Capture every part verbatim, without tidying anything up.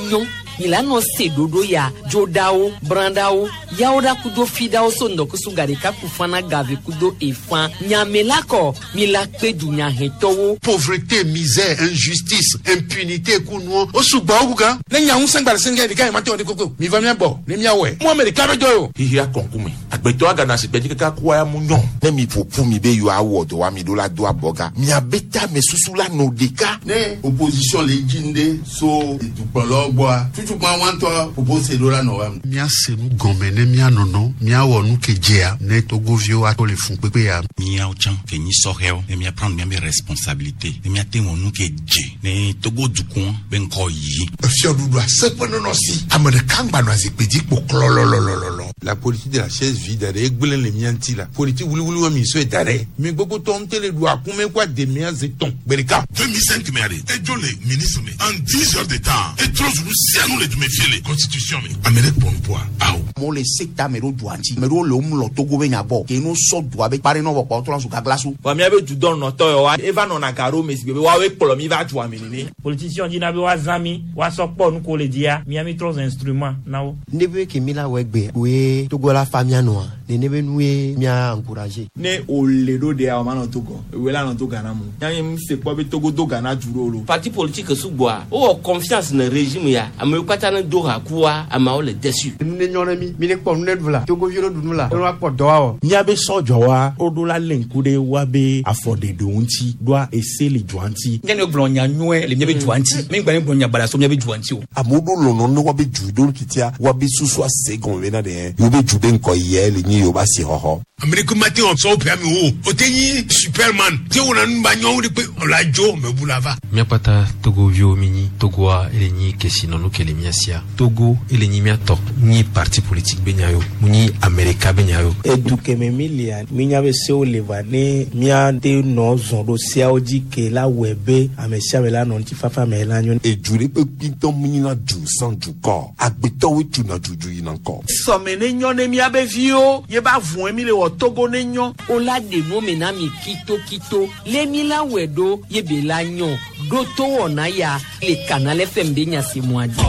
nyɔ milano se ɖoɖo ya dzoɖawo brãɖawo yawo ɖa kudo fiɖawo so ŋdɔkusu gaɖeka kufana gave kudo efã nyamela kɔ mila kpe dunyahetɔwo. Pauvreté, misère, injustice, impunité kunuɔ o sugbɔ o kukan. Ne nya ŋusẽ gba le sɛngɛ ɖeka yi ma te wɔ de koko mi va mia gbɔ ne mia wɔe mu ame ɖeka bɛ dɔ ye o. Xixia kɔnkume agbetɔ agana si gbɛdzi kaka kua ya mu nyɔ. Ne mi ƒoƒu mi be yewoawɔ dɔ wa mi ɖo la do abɔga miabe tame susu la nɔ ɖeka. Ne opposition le dzi ŋɖe so dukplɔlawo gbɔa tutukpa wɔntɔ propose ɖo la nɔ wa. Míase nu gɔme ne míanɔnɔ míawɔ nu ke dzea ne togoviwo ato le fun kpekpe ya. Míawo tsã ke nyi sɔhɛwo ne mía prendre míabe responsabilité ne míate wɔ nu ke dze ne Togo dukɔ be ŋkɔ yi. Efiɔɖuɖu aseƒe nɔnɔ si ame ɖeka ŋgba nɔ zikpui dzi kpo klɔlɔlɔlɔlɔ. La politique de la chaise vide ɖe egblẽ le mía ŋuti la politique wuliwuli wa mi sɔe da ɖe mi gbogbo tɔ ŋutɛ le ɖu akume kó ademia zi tɔn gbe ɖeka. deux mille cinq me ale edzo le ministre me en dix heures de temps etrɔ zu nu sia nu le dume fie le constitution me ame ɖe kpɔ nupoa awo. Amewo le se ta ame ɖewo dua ŋuti ame ɖewo le wo mlɔ Togo be nya gbɔ ke no sɔ dua be kpa ɖe nɔ vɔ kpa wotrɔ zu gaglasu. Wa míabe dudɔnɔtɔ yawoa eva nɔna ga ɖo me si gbe be woawoe kplɔ mi va dua me nene. Politicien dina be woazã mi woasɔ kpɔ nu ko le dzia mía mi trɔ zu instrument na wo. Ne be ke mi la wɔ egbe koe Togo la fa mía nɔa nene be nu ye mía encourager. Ne o le ɖo ɖea o ma nɔ Togo ewe la nɔ to Ghana mu yanyi mi se kpɔ be Togo do Ghana du ɖo lo. Parti politique sugbɔa wowɔ confiance ne régime ya amewo katã ne do ha kua ameawo le déçu. Nu ne nyɔ ne mi mi ne kpɔ nu ne ɖu la togoviwo ɖu nu la ne woakpɔ dɔ awɔ. Míabe sɔdzɔwa woɖo la lé ŋku ɖe woabe afɔɖeɖewo ŋuti ɖoa ese le dua ŋuti. Nye ne gblɔ nya nyuie le míabe dua ŋuti mi gba ne gblɔ nya baɖa so míabe dua ŋuti o. Amewo ɖo lɔlɔ ne woabe du ɖo titia woabe susu ase gɔme bena ɖe yewo be du be ŋkɔ yɛ le nyi yewo ba si xɔxɔ. Ame ɖe ko ma te wɔ sɔwɔ ƒe ame wo o te nyi superman te wɔna nu ba nyɔnu ɖe kpe ɔla dzo mebu la va. Míakpata togoviwo mi nyi Togoa ele nyi kesinɔnu ke le mía sia Togo ele nyi míatɔ nyi parti politique be nya yo mu nyi Amerika be nya yo. Edu keme mi lia mi nya be sewo le va ne míate nɔ zɔn ɖo seawo dzi ke la wɔe be ame sia ame la nɔ ŋutifafa me la nyo. Edu ɖe kpekpe ŋutɔ mu nyina du sans dukɔ agbetɔwoe tuna dudu yina ŋkɔ. Sɔme ne nyɔ ne míabe viwo ye ba vɔe mi le wɔ Togo ne nyɔ. O la ɖe nu me na mi kitokito le mi la wɔe ɖo ye be la nyɔ ɖo to wɔna ya le Canal F M be nyasemua dzi.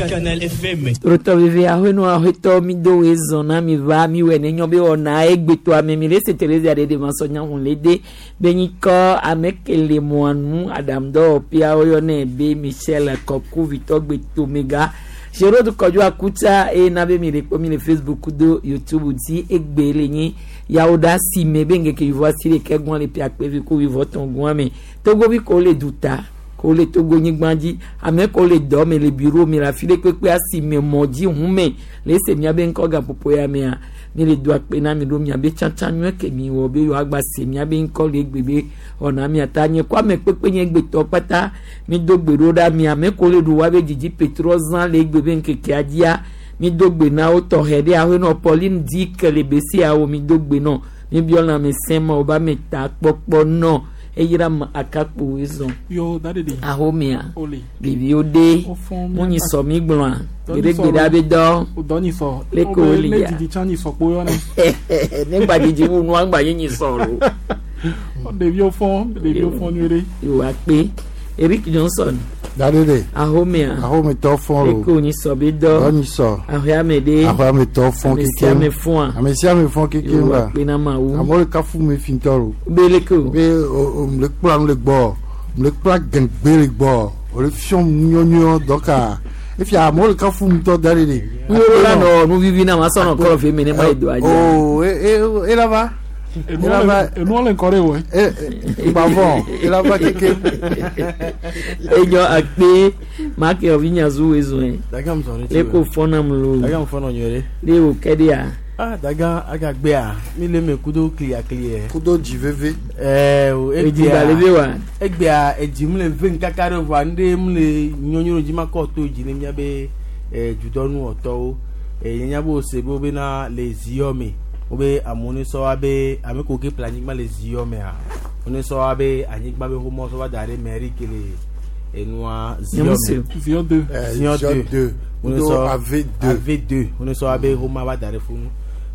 Canal F M. Torotɔ veve aƒenɔ aƒetɔ mi do woe zɔn na mi va mi wɔ ne nyɔ be wɔna egbetɔ ame mi le se Teresa ɖe de ma sɔ nyahun le de be nyi kɔ ame ke le mɔa nu aɖaŋudɔwɔƒea woyɔnɛ be Michel Kɔku vitɔ gbetomega Gérard Kɔdzo Akutsa eye na be mi le kpɔ mi le Facebook do YouTube dzi egbe le nyi yawo ɖe asi me be ŋkeke wivɔ asi ɖeke gbɔn le ƒe akpevi ko wivɔ tɔn gbɔn me Togovi ko le duta ko le Togo nyigba dzi ame ko le dɔ me le bureau me le afi ɖe kpekpe asi me mɔ dzi ʋu me le ese miabe ŋkɔ gaƒoƒo ya mea mi le do akpe na mi ɖo miabe tsatsa nyuie ke mi wɔ be yewoagba se miabe ŋkɔ le egbe be wɔna miata nye ko ame kpekpe nye egbetɔ kpata mi do gbe ɖo ɖa mi ame ko le ɖu woabe dzidzi petrɔ zã le egbe be ŋkekea dzia mi do gbe na wo tɔxɛ ɖe aƒenɔ Pauline Dick le besiawo mi do gbe nɔ mi biɔ lãme sẽ ma wo ba me ta kpɔkpɔ nɔ eyira ma akakpo zɔn Yo, daddy. ahomea Ole. ɖeviwo ɖe Wofɔn mu nyi sɔ mi gblɔa Dɔ nyi gbeɖegbe sɔ ɖe abe dɔ Dɔ nyi sɔ. Le ko wole Ne ya. didi tsã nyi sɔ kpo yɔ ne. Ne gba dzidzi wu nua gba ye nyi sɔ lo. Ɖeviwo fɔn, ɖeviwo fɔn nyuie ɖe. Yewoa kpe Eric Johnson. Dadede. Ahomea. Ahometɔ fɔn lo. Eko nyi sɔ be dɔ. Dɔ nyi sɔ. Aƒeame ɖe. Aƒeametɔ fɔn Ame kekem. sia ame fɔa. Ame sia ame fɔn kekem Yewoa ba. kpe na Mawu. Amewo le kafu mi fintɔ lo. Be leke o. Be o o mle kpla nu le gbɔ. Mle kpla gɛngbe le gbɔ. O le fiɔm nyɔnyɔ dɔka. Efia amewo le kafu ŋutɔ dadede. Nuwo la nɔ nu vivi na ma sɔnɔ kɔlɔ fi mi ne ma yi do adzi. O e e ela va. Ela va. Enuɔ le ŋkɔ ɖe wɔ. E gbavɔ ela va kekem. Enyɔ akpe maki ɔvi nyazu wezɔe. Daga mu sɔn ne ti Leko fɔnam lo. Daga mu fɔnɔ nyuie ɖe. Le wo kɛ de ya. Ah, daga agagbea mi le me kudo kliyakliye. Kudo dzi veve. Ɛɛ o Edzi gba le ve wa. Egbea edzi mu le ve nkaka ɖe voa nu ɖe mu le nyɔnyɔ dzi ma kɔ to dzi ne miabe ɛ dudɔnuwɔtɔwo. Ɛ nye nya be wose be wobena le ziyɔ me wobe amewo ne sɔ wa be ame ko ke ƒle anyigba le ziyɔ mea wo ne sɔ wa be anyigba be xomɔ sɔ va da ɖe mairie ke le enua ziyɔ me. Ziyɔ deux. Ziyɔ Ziyɔ deux. deux. Wo ne Kudo sɔ A V deux. A V deux wo ne sɔ wa be xoma va da ɖe funu.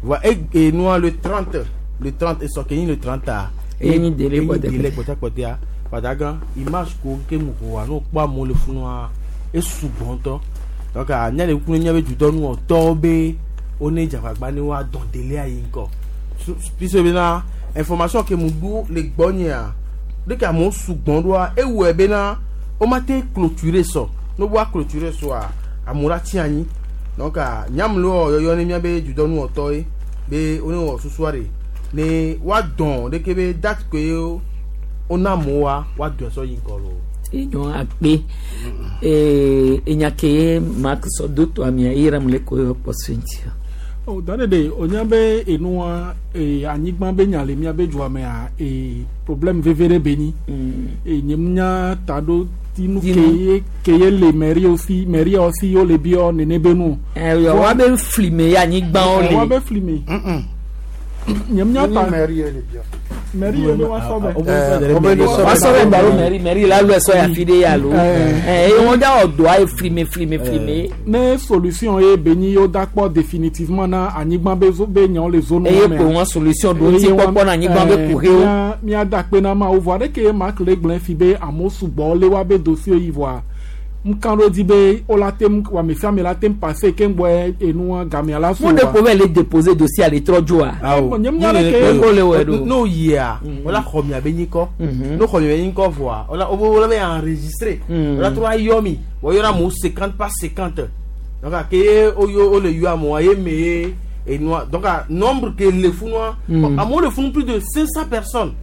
Voa e enua le trente le trente esɔ ke nyi le trente a. Eye nyi délai Eye nyi kpɔtɛ délai kpɔtɛkpɔtɛa. Padagan image ko ke mu ko wa no kpɔ amewo le funua esugbɔ ŋutɔ donc anya le kuku ne míabe dudɔnuwɔtɔwo be wone dzagbagba ne woadɔn delia yi ŋkɔ puisque bena information ke mu ɖo le gbɔnyea ɖeke amewo sugbɔ ɖoa ewɔe bena womate clôturer sɔ ne woa clôturer sɔa amewo la tsi anyi donc nyamlo yɔyɔ ne míabe dudɔnuwɔtɔ ye be wone wɔ susua ɖe ne woadɔn ɖeke be date ke wona amewoa woadɔe sɔ yi ŋkɔ loo. Enyo akpe ee enya ke Mark sɔ do to amia eyra mu le ko yɔ kpɔ so ŋuti. O da ɖe ɖe o nya be enua ee anyigba be nya le míabe dua mea ee problème veve ɖe be nyi. Ee nye mu nya ta ɖo tinu ke ye ke ye le mairie si mairie si wo le biɔ nene be nu. Ɛ wa be fli me ye anyigbawo le. Wa be fli me. Nye mu nya ta mairie le biɔ. Mairie be wa sɔ bɛ. Wa sɔ bɛ balo mairie mairie la lɔ sɔ ya fi de ya lo. Ɛ eye wɔn da wɔ doa ye fli me fli me fli me. Ne solution ye be nyi yewo da kpɔ définitivement na anyigba be zo be nyawo le zone Eye ko wɔn solution do ŋuti kpɔkpɔ na anyigba be kuxiwo. Mía mía da akpe na Mawu vɔa ɖeke Mark le gblẽ fi be amewo sugbɔ le woabe dossier yi vɔa ŋkan ɖo dzi be wola tem wame sia ame la tem passé ke ŋgbɔ enua gamea la so. Mo de ko bɛ le déposer dossier ale trɔ dzoa. Awo nye nya ɖe ke ko le wɔ ɖo. N'o yia wala xɔ mia be nyikɔ n'o xɔ mia be nyikɔ vɔa wala wo wala bɛ enregistré wala trɔ ayɔ mi wɔ yɔrɔ amewo cinquante par cinquante donc ke o yo o le yɔ amewoa ye me ye enua donc nombre ke le funua amewo le funu plus de cinq cents personnes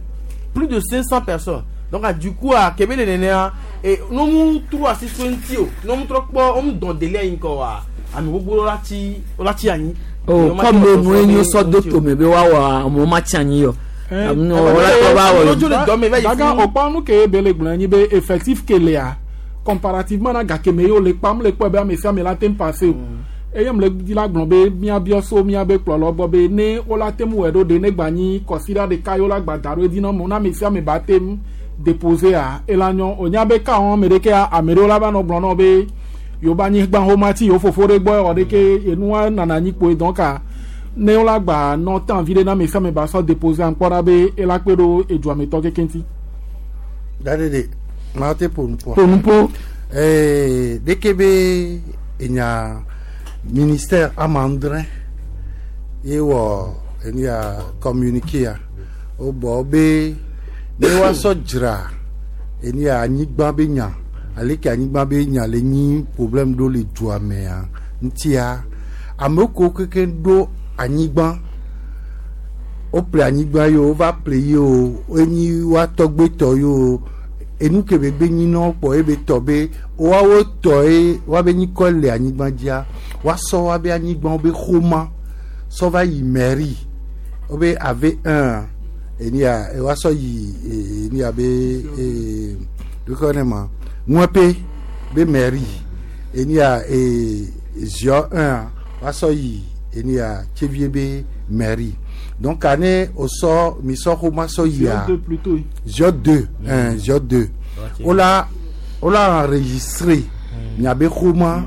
plus de cinq cents personnes. Donc du coup à Kébé le nenea et nous mu trois six twenty o nous mu trois kpɔ mu dɔn délai yin kɔ wa ame gbogbo la ti la ti anyi. O comme nu enyo sɔ do tome be wa wɔ amewo ma ti anyi yɔ. Daga o nu ke be le gblɔ nyi be effectif ke lea comparativement na gake me yewo le kpam le kpɔ be ame sia ame la tem passé o. Eye mu le di la gblɔ be míabiɔ so míabe kplɔlɔ gbɔ be ne wola tem wɔe ɖo ɖe ne gba nyi kɔsiɖa ɖeka yewo la gba da ɖo edzi na mo na ame sia ame ba tem déposé a elanyɔ o nya be ka wɔn ame ɖeke ame ɖewo la va nɔ gblɔ nɔ be yewo ba anyigba xɔmati yewo fofo ɖe gbɔ wɔ ɖeke enua nana anyi kpoe donc a ne wola gba nɔ tan vi ɖe na ame sia ame ba sɔ déposé a ŋkpɔ ɖa be ela kpe ɖo edzuametɔ keke ŋuti. Da ɖe ɖe maa te ƒo nuƒoa. Ƒo nuƒo. Ee ɖeke be enya ministère amandrin ye wɔ enya communiqué a wobɔ be ne woasɔ dzra eni anyigba be nya aleke anyigba be nya le nyi problème ɖo le dua mea ŋutia amewo ko keke ɖo anyigba woƒle anyigba yi o wova ƒle yi o enyi woa tɔgbetɔ yi o enu ke be gbe nyi na wo kpɔ ebe tɔ be woawo tɔ ye woabe nyikɔ le anyigba dzia woasɔ woabe anyigbawo be xɔma sɔ va yi mairie wobe ave un enia woasɔ yi enia be ee dukɔ ne ma ŋuɛpe be mairie enia ee ziɔ un woasɔ yi enia tsevie be mairie donc ane osɔ misɔ xɔma sɔ yia ziɔ deux un ziɔ deux wola wola enregistré miabe xɔma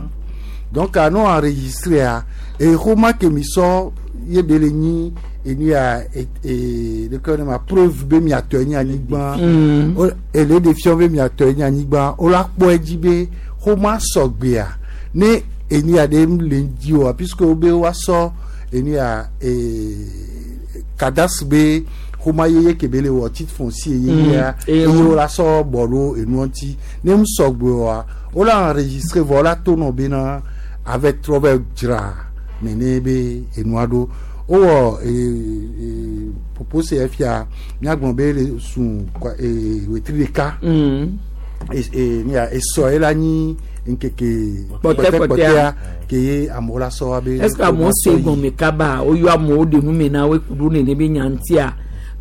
donc ano enregistré a e xɔma ke misɔ ye be le nyi enia e dukɔ ne ma preuve be miatɔ nyi anyigba ele de fiɔ be miatɔ nyi anyigba wola kpɔ edzi be xɔma sɔgbea ne enia ɖe le dzi oa puisque wo be woasɔ enia ee cadastre be xɔma yeye ke be le wɔ titre foncier yeyea eye wola sɔ bɔ ɖo enua ŋuti ne mu sɔgbe oa wola enregistré vɔ wola to nɔ bena avec trɔ be dzra nene be enua ɖo wowɔ ee propose fia míagblɔ be le sun ee wetri ɖeka ee nia esɔ ye la nyi nkeke kpɔtɛkpɔtɛa ke ye amewo la sɔ wa be. Est-ce que amewo se gɔme kaba woyɔ amewo ɖe nu me na wo kuɖo nene be nya ŋutia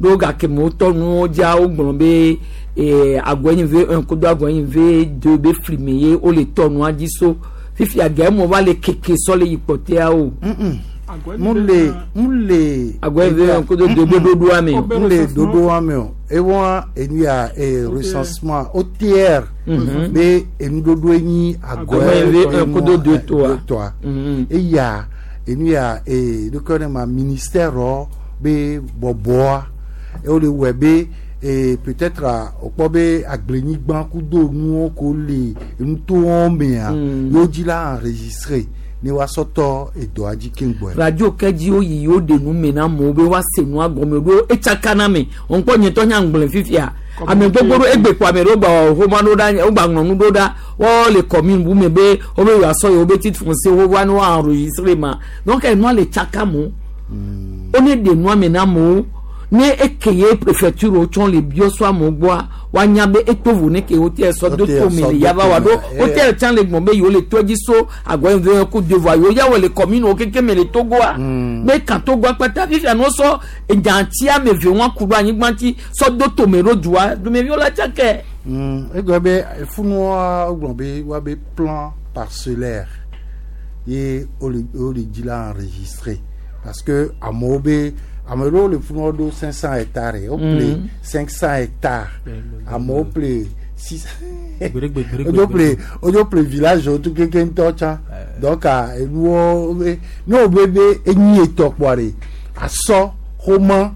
ɖo gake mewo tɔ nuwo dzia wogblɔ be ee agɔnyi ve un kudo agɔnyi ve deux be fli me ye wole tɔ nua dzi so fifia gɛ mo va le keke sɔ le yi kpɔtɛa o. mu le mu le. Agɔnyi ve un kudo deux be ɖoɖoa me. mu le ɖoɖoa me o ewɔ enu ya ee recensement O T R be enuɖoɖoe nyi agɔnyi ve un kudo deux tɔa. Tɔa eya enu ya ee ɖokɔ ne ma ministère rɔ be bɔbɔa ewole wɔe be Et peut-être a okpɔ be agblenyigba kudo nuwo ko le enutowo mea yewo dzi la enregistré ne woasɔ tɔ edɔa dzi keŋgbɔe. Radio ke dzi woyi yewo ɖe nu me na amewo be woase nua gɔme ɖo etsaka na me ŋkpɔ nyetɔ nya ŋgblẽ fifia ame gbogbo ɖo egbe kpo ame ɖewo gba wɔ xoma ɖo ɖa wogba ŋlɔ nu ɖo ɖa wɔwɔ le commune bu me be wobe yewoasɔ yewo be titre foncier wo va ne woa enregistré ma donc enua le tsaka mo wone ɖe nua me na amewo ne eke ye préfecture wo tsɔ le biɔ so amewo gbɔa woanya be eto vo ne ke wote sɔ do Wote to me sɔ le do yaba tome. wa ɖo wote tsã le gbɔn be yewo le to dzi so agɔ yi ku devoir yewo ya wɔ le commune wo keke me le Togoa be kan Togoa kpata fifia no sɔ edzaŋtsi ame eve wɔn ku ɖo anyigba ŋuti sɔ do tome ɖo dua dumeviwo la tsakɛ. Mm, egblɔ be funua wogblɔ be woabe plan parcellaire ye wole wole dzi la enregistré parce que amewo be ame ɖewo le funua ɖo cinq cent hectares wople Mm. cinq cent hectares amewo ple six Gbeɖegbe, wodzo ple wodzo ple village wo tu keke ŋutɔ tsã donc ah, enuwo be ne wo be be enyi etɔ kpɔa ɖe asɔ xoma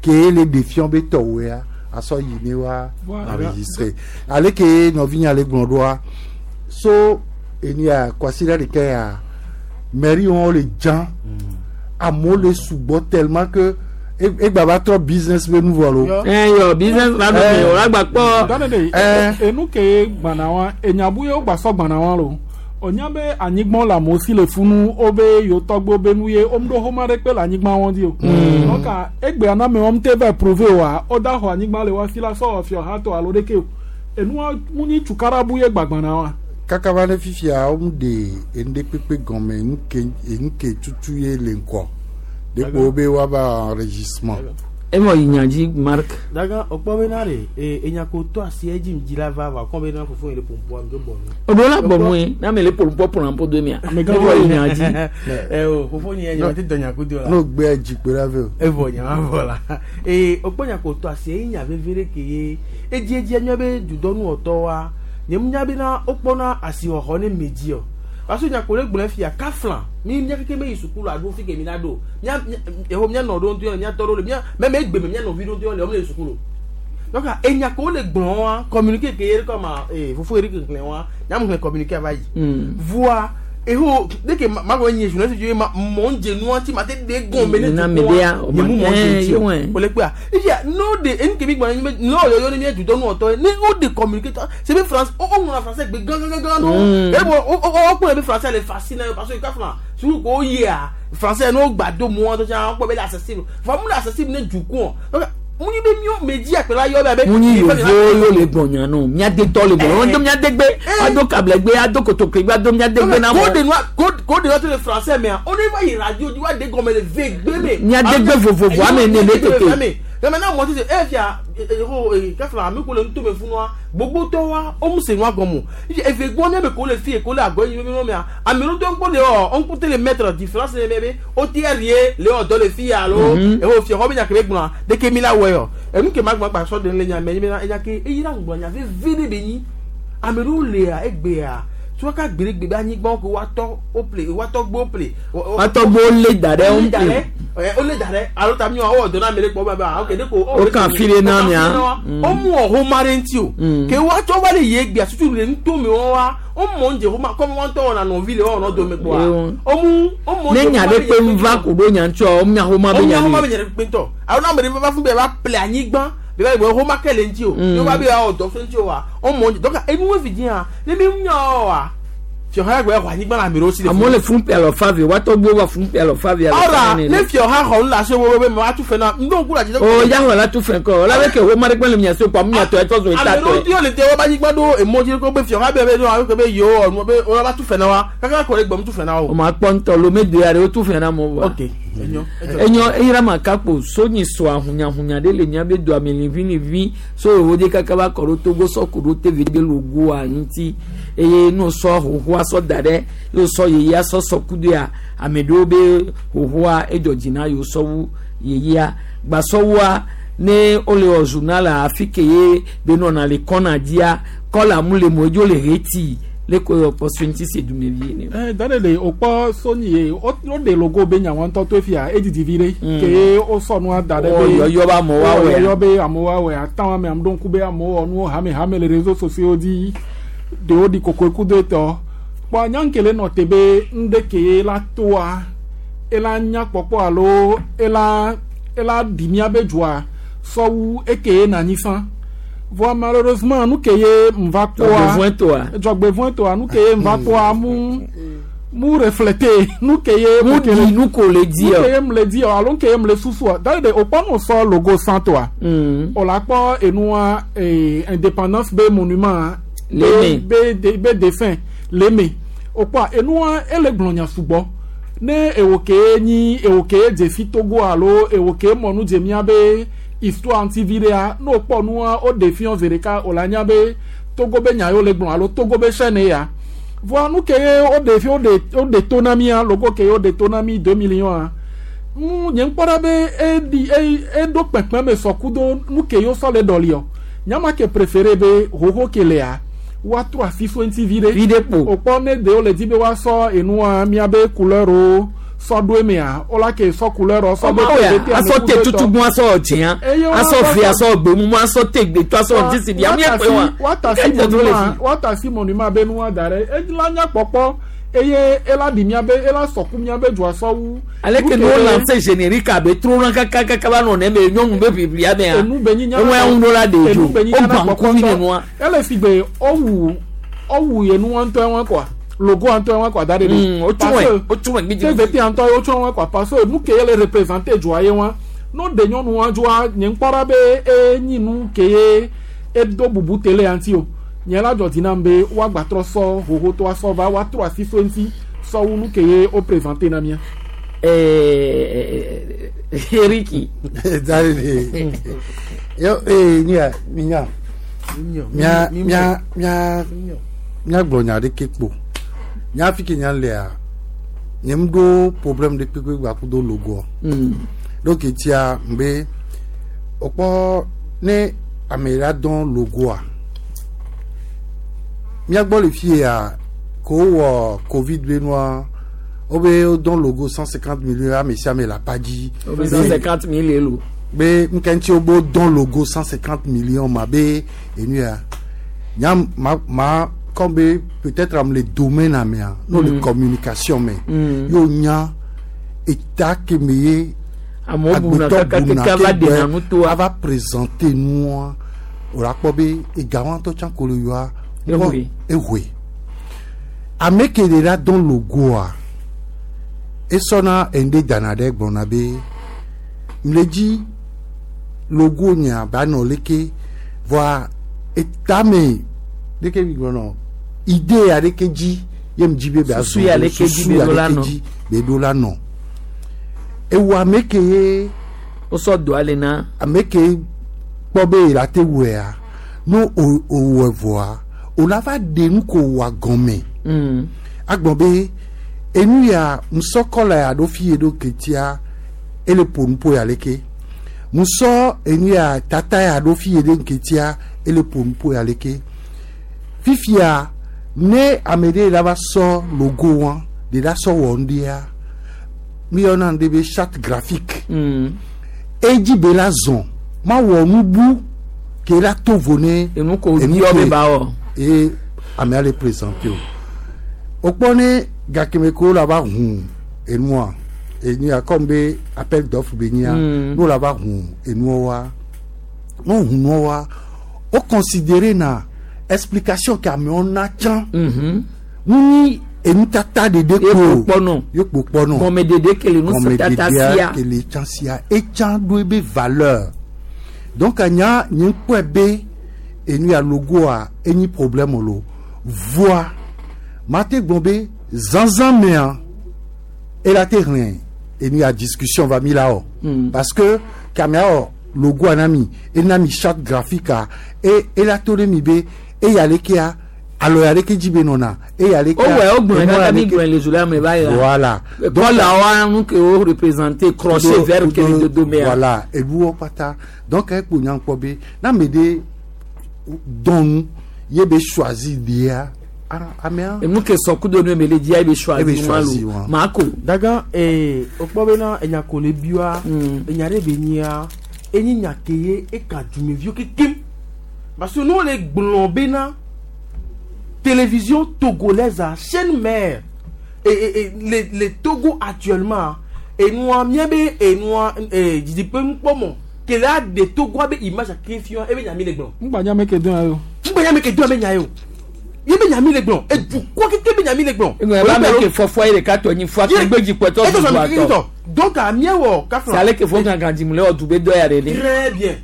ke le ɖe fiɔ be tɔwoea asɔ yi ne wa Voilà. enregistré ale ke nɔvinya le gblɔ ɖoa so enia kwasiɖa ɖeka ya mairie wɔn le dzã amewo le sugbɔ tellement que e- egba va trɔ business be nu vɔ lo. ɛ yɔ business la ɖo me o la gba kpɔ. Dane de enu ke gbana wa enyabu ye wogba sɔ gbana wa lo onya be anyigba le amewo si le funu wobe yewo tɔgbe be nu ye womeɖo xoma ɖe kpe le anyigba wɔn dzi o donc egbea na ame wɔm te va prouver oa woda xɔ anyigba le wa si la sɔ wɔ fiɔ ha tɔ alo ɖeke o enua mu nyi tukarabu ye gbagbana wa. Kaka va ne fifia womu de enu ɖe kpekpe gɔme enu ke enu ke tutu ye le ŋkɔ dekpo wo be woava enregistrement. Emɔ yi nya dzi Mark. Daga okpɔ bena ɖe e enya ko to asi edzi dzi la va va kɔ bena fofo yi le pompoa mi do bɔ nu. O do la bɔ mu ye n'ame le polo polo ƒo do mia. Emɔ yi nya dzi. ɛ o fofo nye nye ma te dɔ nya ko do la. N'o gbɛ dzikpe la vɛ o. Evɔ nya ma vɔ la ee okpɔ nya ko to asi eyi nya veve ɖe ke ye edzi edzi enya be dudɔnuwɔtɔ wa nye mu nya bena wokpɔna asixɔxɔ ne me dzi o parce que nya ko le gblɔ fia kafla mi mía keke me yi sukulu alo fi ke mi la ɖo mía mía mía nɔ ɖo ŋutɔ le mía tɔ ɖo le mía mɛ mɛ egbe me mía nɔvi ɖo ŋutɔ le wɔm le sukulu donc enya ko le gblɔ wa communiqué ke ye kɔma ee fofo eri keklẽ wa nyamu xlẽ communiqué va yi voa eho deke ma ko nye journaliste ye ma mɔ dze nua ti ma te de gɔn me ne Na dukɔ me dea, wa nye mu mɔ eh, dze ti ye o wɛ. o le kpea efia n'o de enu ke mi gbɔna nyi be n'o yɔyɔ ne mi dudɔnuwɔtɔ ye ne o de communiqué tɔ c'est be France o o ŋlɔ français gbe gán gán gán do Mm. e bɔ o o o kplɔ be français le facile na ye parce que kafuna sukuu ko yia français n'o gba do mu wɔn tó tsa kpɔ be le accessible fa mu le accessible ne dukɔ donc mu nyi be miɔ me dzi akpɛla yɔ be abe mu nyi yovo yo le gbɔnya no miadetɔ le gbɔnya wɔn do miadegbe ado kablegbe ado kotoklegbe ado miadegbe na ko de mɔ nua ko ko de nua to le français mɛ on ne va yi radio di wa de gɔmɛ le ve gbe me. Miadegbe vovovo, ame ene le tete. Kɛmɛ n'a mɔ sisan e fia e ko kafla ame ko le ŋutɔ me funua gbogbo tɔ wa o mu se nua gɔmɔ eve gbɔ ne be ko le fi ko le agɔ yi mi mea ame ɖewo tɔ ŋkpɔ de ɔ ŋku te le mettre différence le mɛ be o ti rie le wɔ dɔ le fi alo Mhm. eho fia xɔ be nya ke be gblɔa deke mi la wɔ yɔ enu ke ma gblɔ gba sɔ de le nya mɛ nyi bena enya ke eyi la ŋgblɔ nya veve de be nyi ame ɖewo lea egbea tí wọ́n ká gbèrègbè bá anyigba ko wá tọ́ ó ple wá tọ́ gbó ple. Wá tọ́ gbó lé da ɖe, ó ó lé da ple. ɖe ɛ ó lé da ɖe alo ta mi wɔ ɔdɔ náà mi lé kpɔ bẹ́ẹ̀ bẹ́ẹ̀ ok de ko. Ó kàn fi lé náà mìá. ó mú ọ̀hún mari ntí o. Mm. ke wá tsɔ wá lè yé gbé asutu le ŋutɔ mi wọ́n wá ó mọ̀ ń jẹ kó ma kọ́ mi wọ́n tọ́ wọn nà nɔvi le wọ́n nɔ dome kpɔ wa. ó mú ó mọ̀ ń ne jẹ nya kó ɖe ma kpe lè yé ŋva ko ɖo nya ŋutsɔ mia xoma ó be nya nya xɔma ne be nya ɖe kpe ŋutɔ alo náà mɛ va fún bẹ́ẹ̀ bá ple anyigba bẹ́ẹ̀ bá xɔma kɛ le ŋuti o Mm. yóò bá bẹ́ẹ̀ wà ọ̀dọ́ fún ŋuti o wa ó mọ̀ ń jẹ donc enu wo fi diẹ ne mi nya wa fiɔha gbe xɔ anyigba la mi ɖo si le amewo le fún pe alɔ fa vi woatɔ gbo wa fún pe alɔ fa vi alɔ fa ɔra ne ne fiɔha xɔ nu le asi wo be mɛ wa tu fɛ na ŋdɔ ŋku la dzi o ya xɔ la tu fɛn kɔ ɔla bɛ kɛ wo ma ɖe kpe le mia so kpa mia tɔ ɛtɔ zo eta ame ɖewo tɔ ti le te wo ba anyigba ɖo emɔ dzi ko be fiɔha bɛ bɛ ɖo alo be yewo ɔnu be wo ba tu fɛ na wa kaka kɔ ɖe gbɔm tu fɛ na o wo. ma kpɔ ŋutɔ lome do ya ɖe wo tu fɛn na mo wa ok enyo enyo eyira ma kakpo so nyi so ahunyahunya ɖe le mia be do ame liʋiliʋi so yewo de kaka va kɔ ɖo togo sɔ ko ɖo tevi be logoa ŋuti eye no sɔ hohoa sɔ da ɖe yewo sɔ yeyea sɔ sɔ kudo ya ame ɖewo be hohoa edzɔ dzi na yewo sɔ wu yeyea gbasɔwua ne wole wɔ journal afi ke ye be nɔna le kɔna dzia kɔla mu le mo edzo le heti Le ko yɔ kpɔ so ŋuti se dumevi ne. Eh, dane le o kpɔ soni ye o o de logo be nyawo ŋutɔ to fia edidi vi ɖe ke o sɔ nua da ɖe be yɔyɔ be amewo awɔe yɔyɔ be amewo awɔe atan ame ame ɖo ŋku be amewo wɔ nuwo hame hame le réseaux sociaux dzi ɖewo ɖi kokoe kudo etɔ kpɔ nyankele nɔ te be ŋɖe ke la toa ela nya kpɔkpɔ alo ela ela ɖi mía be dzoa sɔwu eke na anyi fã voa malheureusement nu ke ye nva kpɔa dzɔgbevɔ̃e toa nu ke ye nva kpɔa mu mu refléter nu ke ye mu di nu ko le di nu ke ye mu le di alo nu ke ye mu le susua d'ailleurs de o kpɔ nu sɔ logo san toa o la kpɔ enua ee indépendance be monument Leme. be be be dessin leme o kpɔa enua ele gblɔ nya sugbɔ ne ewo ke nyi ewo ke dze fi Togo alo ewo ke mɔ nu dze mía be histoire ŋuti vi ɖea ne wokpɔ nua wo ɖe fiɔ zi ɖeka wòle anya be Togo be nya yewo le gblɔ alo Togo be chaîne ya voa nu ke ye woɖe fi woɖe woɖe to na mía logo ke ye woɖe to na mí deux millions a nu nye ŋkpɔ ɖa be eɖi e eɖo kpekpeme sɔ kudo nu ke yewo sɔ le ɖɔliɔ nyama ke préféré be xoxo ke lea woatrɔ asi so ŋuti vi ɖe vi ɖe kpo wòkpɔ ne ɖewo le di be woasɔ enua míabe couleur wo sɔ ɖo emea wola ke sɔ couleur wo sɔ ɖo tv asɔ te tutugbɔn asɔ dzɛa asɔ fi asɔ gbemumu asɔ te gbetɔ asɔ dzisi di ami ekpe wa woatasi monument woatasi monument be nua da ɖe ela nya kpɔkpɔ eye ela ɖi míabe ela sɔku míabe dzoa sɔwu. aleke ne wo lance générique abe trona kakakaka va nɔ neme nyɔnu be ʋiʋlia mea enu be nyi eŋu ya ŋu ɖo la ɖe dzo o gbã ŋkuvi nenua. ele si gbe owu owu yenua ŋutɔ wa kɔa logo ŋutɔ wa kɔa da ɖe ɖe. o tún wɛ o tún wɛ gbidi. tvt ŋutɔ ye o tún wɛ kɔa parce que nu ke ye le représenter dzoa ye wa n'o de nyɔnua dzoa nye ŋkpɔ ɖa be enyi nu ke ye edo bubu tele ya ŋuti o nye la dzɔ dzi nam be woagbatrɔ sɔ hohotɔa sɔ va woatrɔ asi so ŋuti sɔwu nu ke ye o présenter na mía. Eh, Eriki. Dale. Yo eh nya minya. Mia mia mia mia gblɔ nya ɖeke kpo. Nya fi ke nya lea. Nye ŋɖo problème ɖe kpekpe gba kudo logoa. Mm. Donc etia mbe okpɔ ne ame la dɔn logoa. Mia gbɔ le fie ya ko wɔ Covid be nua wobe wodɔn logo cent cinquante millions ame sia ame le apa dzi. Wobe cent cinquante mille lo. Be nke ŋuti wobe wodɔn logo cent cinquante millions ma be enu ya nya ma ma comme be peut-être am le domaine amea no le Mm. communication me Mm. y'o nya eta ke me ye Amewo buna agbetɔ kaka keke ava ɖena nu toa. ava présenter nua o la kpɔ be egawo ŋutɔ tsã ko le yɔa Ehoe. ehoe ame ke le la dɔn logoa esɔna ende dana ɖe gblɔna be mle dzi logo nya ba nɔ leke voa etame leke mi gblɔnɔ idée ya ɖeke dzi ye mi dzi be bia Susu ya leke dzi be ɖo la nɔ. dzi be ɖo la nɔ ewu ame ke ye wosɔ doa le na ame ke kpɔ be ye la te wɔea no o o wɔ vɔa o la va ɖe nu ko wɔ gɔme Mm. agbɔn be enu ya musɔkɔla ya ɖo fi ye ɖo ketia ele ƒo nuƒo ya leke musɔ enu ya tata ya ɖo fi ye ɖe ketia ele ƒo nuƒo ya leke fifia ne ame ɖe la va sɔ logo wa de la sɔ wɔ ŋɖia mi yɔna ŋɖe be charte graphique Mm. edzi be la zɔn ma wɔ nubu ke la to vo ne enu ko yɔ be ba wɔ. ye amea le présenter o wokpɔ ne gakeme ko la va hu enua enua comme be appel d'offre be nyia Mm. n'o la va hu enua wa n'o hu nua wa o considérer na explication ke amewo na tsã Mhm. nu nyi enutata ɖeɖe Ye ko kpo kpɔnɔ. ye kpo kpɔnɔ Gɔmeɖeɖe ke le nusɔtata sia. ke le tsã sia etsã ɖo ebe valeur donc anya nye ŋkpɔe be enu ya logoa enyi problème lo voa mate gblɔ be zanzan mea ela te hlẽ enu ya discussion va mi la wɔ Mm. parce que kamea wɔ logoa na mi ena mi charte graphique a e ela to ɖe mi be eya lekea alɔ ya leke dzi be nɔna eya lekea O wɛ o gblɔe enua kaka ya mi leke- gblɔe le zula me va yi la. voilà Kɔla wa nu ke wo représenter crochet vert ke le dodo mea. voilà enuwo kpata donc ekpo nya kpɔ be na ame ɖe dɔn nu ye be choisi lia amea. Enu ke sɔkudo nu ebe le dzia ebe Ebe choisi wa choisi lo wa. mako. Daga ee okpɔ bena enya ko le bioa enya ɖe be nyia enyi nya ke ye eka dumeviwo kekem parce que nous le gblɔ bena télévision togolaise a chaîne mère et, et, et le, le Togo actuellement enua mía be enua ee didiƒe nukpɔmɔ ke la de Togoa be image ake fia ebe nya mi le gblɔ ŋgbanya me ke dɔn yo. ŋgbanya me ke dɔn be nya ye o ye be nya mi le gblɔ edukɔ keke be nya mi le gblɔ. Eŋɔ ebe ame ke fɔfɔ ye ɖeka tɔ nyi fua ke gbedzi kpɔtɔ Eto du sɔ mi atɔ. tɔ donc amiɛwɔ kafla. C'est ale ke fo gangan dzimu le wɔ du be dɔ ya ɖe ɖe. Très bien.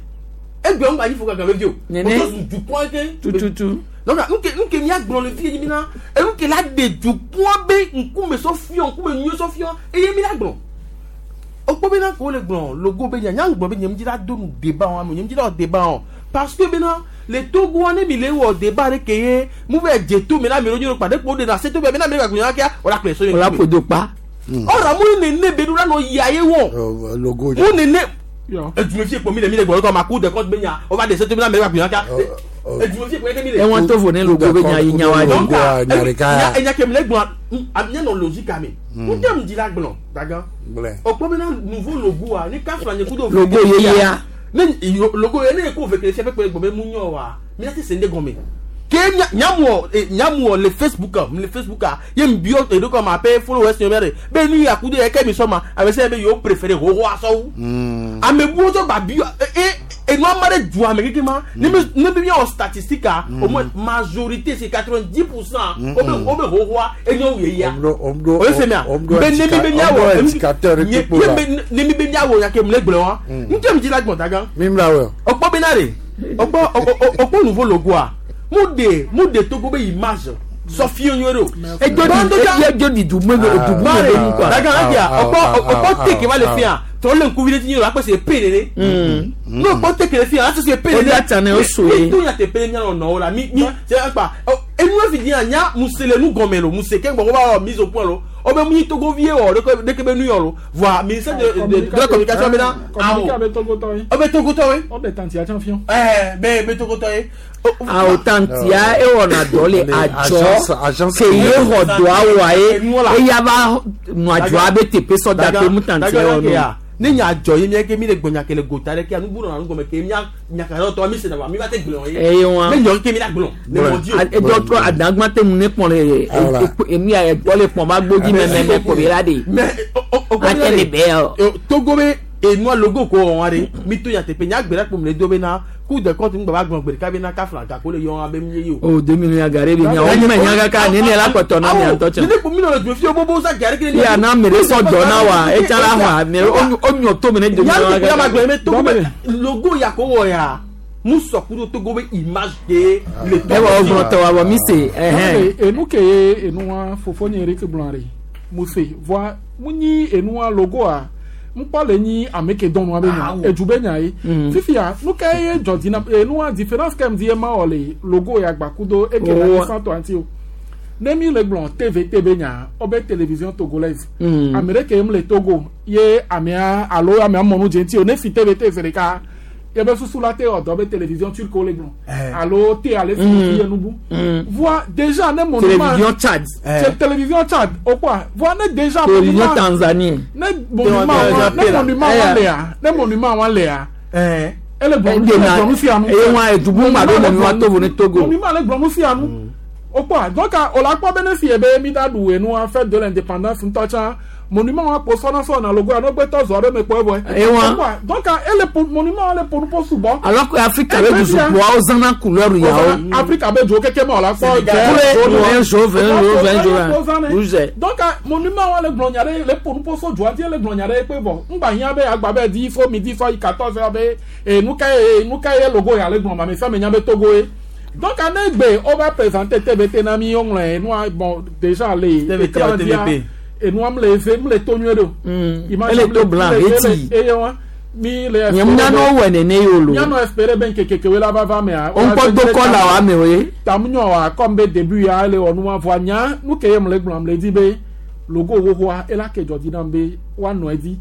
Egbe ŋgba nyi fo gangan vevi o. Nene. O tɔ zu dukɔ ke. Tututu. Donc nuke nuke miagblɔ le fi ye mina enuke la de dukɔ be ŋkume sɔ fiɔ ŋkume nyuie sɔ fiɔ eye mi la gblɔ. Okpɔ bena ko le gblɔ logo be nya nya gblɔ be nye mi dzi la do nu débat wɔn ame nye mi dzi la wɔ débat wɔn parce que bena le Togo ne mi le wɔ débat ɖe ke ye mu vɛ dze to mi la mi ɖo nyi kpa ɖe kpo de na se to be bena mi le gblɔ nya kia o la kplɛ so O la ƒo do kpa. Ɔra mu nene be ɖo la nɔ ya ye wɔ. Logo. Mu nene edumefi ekpo mi le mi le gbɔ kɔ ma ku de kɔnt be nya o va de se to mi la mi le gblɔ nya kia edumefi ekpo ye mi le. Ewɔn to vo ne logo be nya yi nya wa Donc, dzi. enya enya ke mi le gblɔ nya nɔ logique ame. N tɛ mu dzi la gblɔ dagan. O kpɔ bena nouveau logo a ni kafra nye kudo. Logo yeyea. Ne yo- logo ye ne ye ko vekele fia pɛpɛ gbɔ be mu nyɔ wa mi la te se ne gɔme. Ke nya nyamuɔ eh, nyamuɔ le Facebook a le Facebook a ye mi biɔ eɖo kɔ ma pe followers yɔ de be nu ya kudo yɛ kɛ mi sɔ ma a bɛ se be yewo préféré hoho asɔwu. Ame buwo sɔ ba biɔ e enu ama ɖe du ame keke ma ne mi ne mi miawɔ statistique a au moins majorité c'est quatre-vingt-dix pour cent o be o be hohoa enyo yeyea. O ye se mia be ne mi be miawɔ indicateur nye kpekpe la. ye be ne mi be miawɔ nya ke mu le gblɔ wa n tɛ mi dzi la gbɔn ta gan Mi mla wɔ. ọkpɔ bena de ọkpɔ ọkpɔ nouveau logo a mu de mu de Togo be image sɔ fiye nyuie do. Edzo di edzo di du me du me be nu quoi. daga adia ọkpɔ ọkpɔ teke va le fia tɔ le ŋkuvi ɖe dzi nyuie akpɛ se pe nene. N'o kpɔ teke le fia ase se pe O nene. da tsa ne o so ye. Mi to nya te pe ne mianɔ nɔwo la mi mi se akpa enu efi di yan nya muse le nu gɔmɛ lo muse ke gbɔ ko ba wɔ mise au point lo o bɛ mu nyi Togo vie wɔ ɖeke ɖeke be nu yɔ lo voa ministère de de de la communication bɛ na Communiqué awɔ abe Togo tɔ ye. o bɛ Togo tɔ ye. O de tantia tsã fiɔ. Ɛɛ bɛ bɛ Togo tɔ ye. Awo tantia ewɔna dɔ le Agence- adzɔ agence- ke ye xɔ dɔa wɔa ye eya va nɔ adzɔa be teƒe sɔ da pe mu tantia wɔ nu. Ne nya dzɔ ye mía ke mi le gbɔ nya ke le gota ɖe ke nu bu nɔna nu gɔme ke mía nya ka tɔ mi se na wa mi va te gblɔ ye. Eye wa Ne nyɔ ke mi la gblɔ ne mɔ di o. edɔ trɔ adagbã te mu ne kpɔn le emu ya ɛgbɔ le kpɔn ba gbodzi mɛmɛmɛ kpɔ bi la de. Ate le bɛ yɔ. Togo be enua logo ko wɔn wa de mi to nya teƒe nya gbe ɖe kpom le do be na Cour des comptes ŋgbɛ va gblɔ gbe ɖeka be na kafla gako le yɔ abe mi ye o. O deux millions gare bi nya o mɛ nya kaka ne ne la kpɔtɔ na mia ŋutɔ tsɛ. Ne kpo mi nɔ le du fi bobo sa gare kele. Ya na ame ɖe sɔ dɔ na wa etsa la xɔ ame o nyɔ to mi ne deux Nya millions ya ma gblɔ kaka. be Togo be logo ya ko wɔ ya mu sɔ kudo Togo be image de le Togo. Ewɔ o gblɔ tɔ wa bɔ mi se ɛhɛn. Enu ke ye enua fofo nye Eric gblɔ ɖe muse voa mu nyi enua logoa ŋkpɔ le nyi ame ke dɔn nua be nya edu be nya ye fifia nu ke ye dzɔ dzi na enua différence ke mi di ye ma wɔ le logo ya gba kudo eke le Owa. anyisã tɔ ŋuti o ne mi le gblɔ T V T be nya wo be télévision togolaise Mm. ame ɖe ke mu le Togo ye amea alo amea mɔ nu dze ŋuti o ne fi T V T zi ɖeka ye be susu la te wɔ dɔ be télévision turque wo le gblɔ alo te ale fi Mm. ye nubu Mm. voa déjà ne monument Télévision Tchad. C'est télévision Tchad o quoi voa ne déjà Télévision monument Tanzanie. ne monument wa ne monument wa lea ne monument wa lea ele gblɔ Ede ele na gblɔ nu sia nu eye wa edubu ŋgba ɖo monument to vo ne Togo. monument le gblɔ nu sia nu o quoi donc o la kpɔ be ne fi ye be mi da ɖu enua fête de l'indépendance ŋutɔ tsã monument wa kpo sɔna sɔna logo ya ne gbɛtɔ zɔ ɖe me kpɔ evɔ Eye wa. O quoi donc ele po monument wa le ƒo nu ƒo sugbɔ Alors que Afrika be dusukpoawo zãna couleur yawo. Afrika be dzo keke me o la kpɔ Kule un jaune, un jaune, un jaune, rouge. donc monument wa le gblɔ nya ɖe le ƒo nu ƒo so dzoa dzi le gblɔ nya ɖe kpe vɔ ŋgba hiã be agba be di fo midi fo yi quatorze heures be e nu ka ye nu ka ye logo ya le gblɔ ma me sia me nya be Togo ye donc ane gbe wo va présenter T V T na mi woŋlɔe nua bon déjà le T V T, écran dzia, T V P. enua m le eve m le to nyuie ɖo Image Ele m to le- blanc, m le- eti. eye wa mi le Nye mu nyanɔ wɔ nene ye o lo. mianɔ espérer be ŋkeke kekewoe la va va mea O ŋkpɔ do kɔla wa amewo ye. tamunyɔ wa comme be début ya ele wɔ nua voa nya nu ke ye m le gblɔm le di be logo xoxoa ela ke dzɔ dzi nam be woanɔ edzi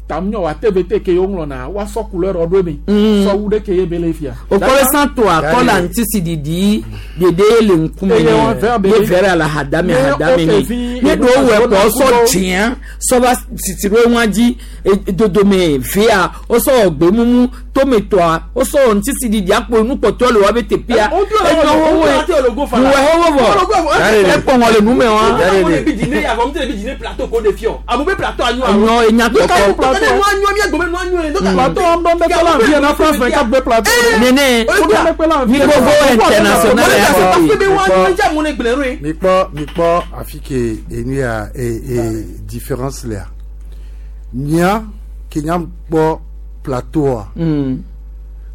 Tam nyɔ wa T V T ke yo ŋlɔna wa sɔ couleur ɖo eme. Mm. Sɔ wu ɖe ke ye be le fia. Okɔle santo akɔla ŋutisi didi dede le ŋkume Eye wɔn vert be ne vert la hadame Ne hadame o fi ni ne ɖewo wɔ ema kɔ sɔ kudo- dzĩa sɔ va sisi ɖo ŋua dzi e- dodome vea wosɔ gbe mumu tometɔa wosɔ ŋutisi didi akpo nukpɔtɔ le wa be teƒea enyo wowoe nuwɛ wowo vɔ ekpɔ ŋɔ le nume wa enyo enya kɔkɔ Plateau am dɔn bɛ kpɛla nfiɛ na France vingt-quatre bɛ plateau. Nene mi gbogbo international ya kɔ Mi kpɔ mi kpɔ afi ke enu ya e e différence lea. Mía ke nya kpɔ plateau Mm.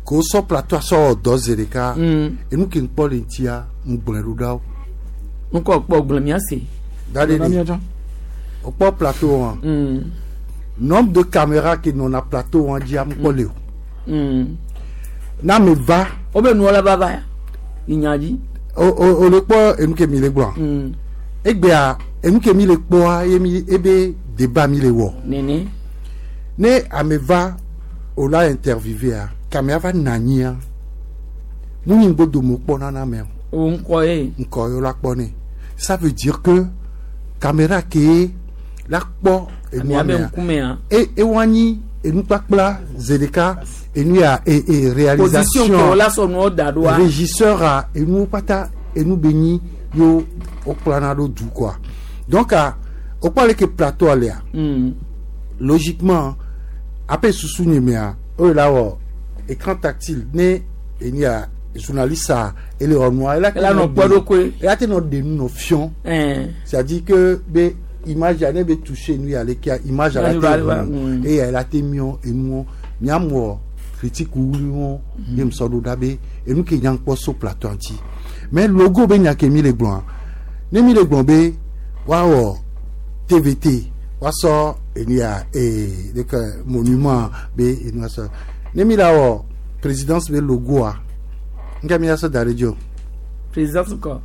ko sɔ plateau sɔ wɔ dɔ zi ɖeka. Mm. Enu ke ŋkpɔ le ŋutia ŋgblɔe ɖo ɖa wo. Ŋkɔ kpɔ gblɔ mía se. Da ɖe ɖe. O kpɔ plateau wa. Mm. Nombre de caméra ke nɔna plateau wa dzia ŋkpɔ le o. Mm. Na me va. O bɛ nuwɔ la va va ya inya dzi. O o o le kpɔ enu ke mi le gblɔ. Mm. Egbea enu ke mi le kpɔa ye mi ebe débat mi le wɔ. Nene. Ne ame va o la interviewea kamea va na anyia mu nyi ŋgbo kpɔna na ame o. O ŋkɔ ye. Ŋkɔ ye o la kpɔ ne. Ça veut dire que caméra ke la kpɔ enua Amea be mea ŋkumea. e ewa nyi enukpakpla zi ɖeka enu ya e e réalisation Position ke o la sɔ nuwo da ɖoa. Régisseur a enuwo kpata enu be nyi yo o kplana ɖo du quoi. Donc a o kpɔ ale ke plateau alea Mm. logiquement ape susu nye mea o la wɔ écran tactile ne eni ya journaliste a ele wɔ nua ela Ela nɔ kpɔ ɖokui. ela te nɔ de nu nɔ fiɔn. Ɛn. C'est à dire que be image ya ne be toucher nu ya leke image ya la te Image ʋu eye ela te miɔ enuwo miamɔ critique wuli wo ye musɔ ɖo ɖa be enu ke nya kpɔ so plateau ŋuti. Mais logo be nya ke mi le gblɔa ne mi le gblɔ be woawɔ T V T woasɔ enu ya ee ɖeke monument be enu asɔ ne mi la wɔ présidence be logoa nke mi asɔ da ɖe dzi o. Présidence kɔ.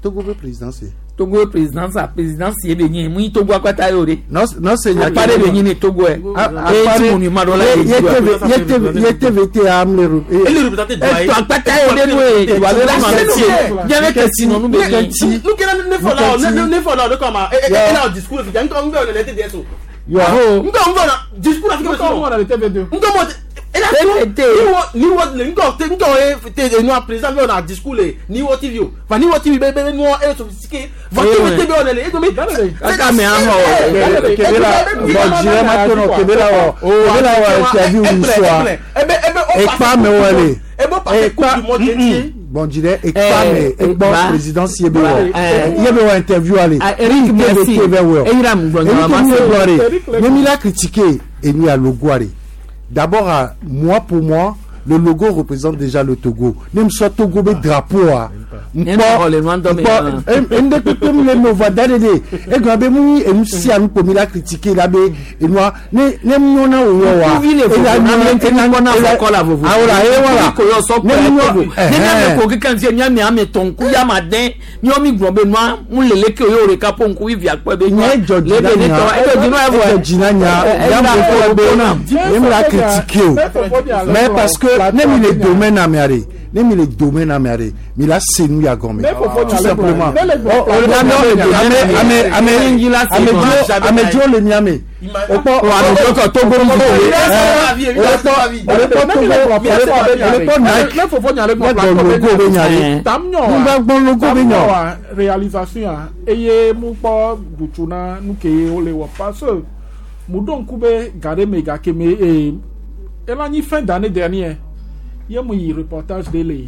Togo be présidence ye. Togo présidence a présidence ye be nyi mu yi Togo akpata ye o de. Non non c'est nya Akpa ɖe be nyi ne Togo yɛ. E ti monument dɔ la ye ye ye T V ye T V ye T V T am le ro. Eto akpata ye o de nu ye wa be la se miabe kesinɔnu be nyi. Nu kena ne fɔ la ne ne fɔ la o de kama e e e la discours fi ntɔ n bɛ o le T D S o. Yo. Ntɔ n bɛ na discours la fi Ntɔ n bɛ na le T V deux. Ntɔ mɔ e la T V T. ni wo ni wo le ntɔ te ntɔ ye te nu a président bɛ o na discours le ni wo T V o fa ni wo T V bɛ bɛ nuɔ e sophistiqué va T V T bɛ o le le e komi. Kaka mɛ ahɔ. Kebe la bon jire ma to no kebe la wɔ kebe la wɔ interview soa ekpa me wɔ le ekpa bon jire ekpa me ekpɔ présidence ye be wɔ ye be wɔ interview ale Eric merci. T V T bɛ wɔ. Eyira mu gblɔ Enu nya ke ma mi se. le gblɔ de ne mi la critiquer enu ya logo ale d'abord ah, moi pour moi le logo représente déjà le Togo. Ne me sɔ Togo be drapeau a Ne xɔ le nua ŋutɔ me. nkpɔ ende kpekpe mu le me va da de de egblɔ be mu nyi enu sia nu kpo mi la critiquer la be enua ne ne mu na wo wɔ wa Ŋkuvi le vovo na mi ŋuti mi kpɔ na vɔ kɔ la vovo. Awola ye wala Ko yɔ sɔ Ne kplɔ mu Togo. nyɔ Ne miame ko keke ŋuti miame ame tɔn ŋkuvi ama den miɔ mi gblɔ be nua mu lele ke o ye o ɖeka po ŋkuvi via kpɔe be nua nye dzɔ le be ne tɔ edo dzi nua evɔ. dzɔ dzi na nya ya mo fɔ be ne mi la critiquer o mais parce que ne mi le domaine amea de ne mi le domaine amea de mi la se nu ya gɔme tout simplement. Ɔ o le ame ame ame ame amedzo le miame o kpɔ O amedzo kɔ Togo ŋu. O le kpɔ o le kpɔ Togo o le kpɔ o le kpɔ Nike Ne fofo nya le ne gbɔ logo be nya de Tam nyɔ nu gba gbɔ logo be nya. wa réalisation a eye mu kpɔ dutsu na nu ke ye wole wɔ parce que mu ɖo ŋku be ga ɖe me gake me ee ela nyi fin d'année dernière ye mu yi reportage ɖe le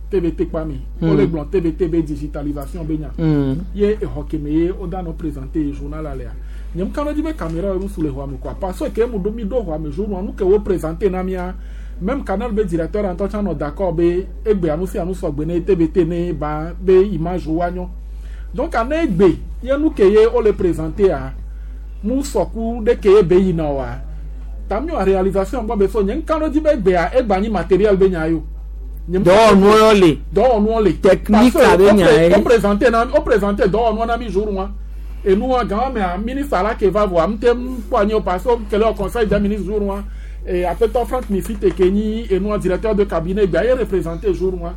T V T kpa me. Mm. Wole gblɔ T V T be digitalisation be nya. Mm. Ye exɔ ke me ye woda nɔ présenter journal alea nye mu ka ɖe dzi be caméra ye nusu le xɔa me quoi parce que ke mu ɖo mi ɖo xɔa me jour nu ke wo présenter na mia même canal be directeur ŋutɔ tsã nɔ d'accord be egbea nu sia nu sɔgbe ne T V T ne ba be image wa nyɔ. Donc ane egbe ye nu ke ye wole présenter a mu sɔku ɖe ke ye be yina oa tamiɔ réalisation gbɔ be so nye ŋka ɖe dzi be egbea egba nyi matériel be nya yo. Nye ŋka ɖe dzi- Dɔwɔnuwo le. Dɔwɔnuwo le. Technique Parce que abe nya ye. o présenter na o présenter dɔwɔnuwo na mi jour wa Enua gan mea ministre la ke va voa ŋute kpɔ anyi o parce que kele o conseil des ministres jour wa et apetɔ Frank Mifite ke nyi enua directeur de cabinet gba ye représenté jour wa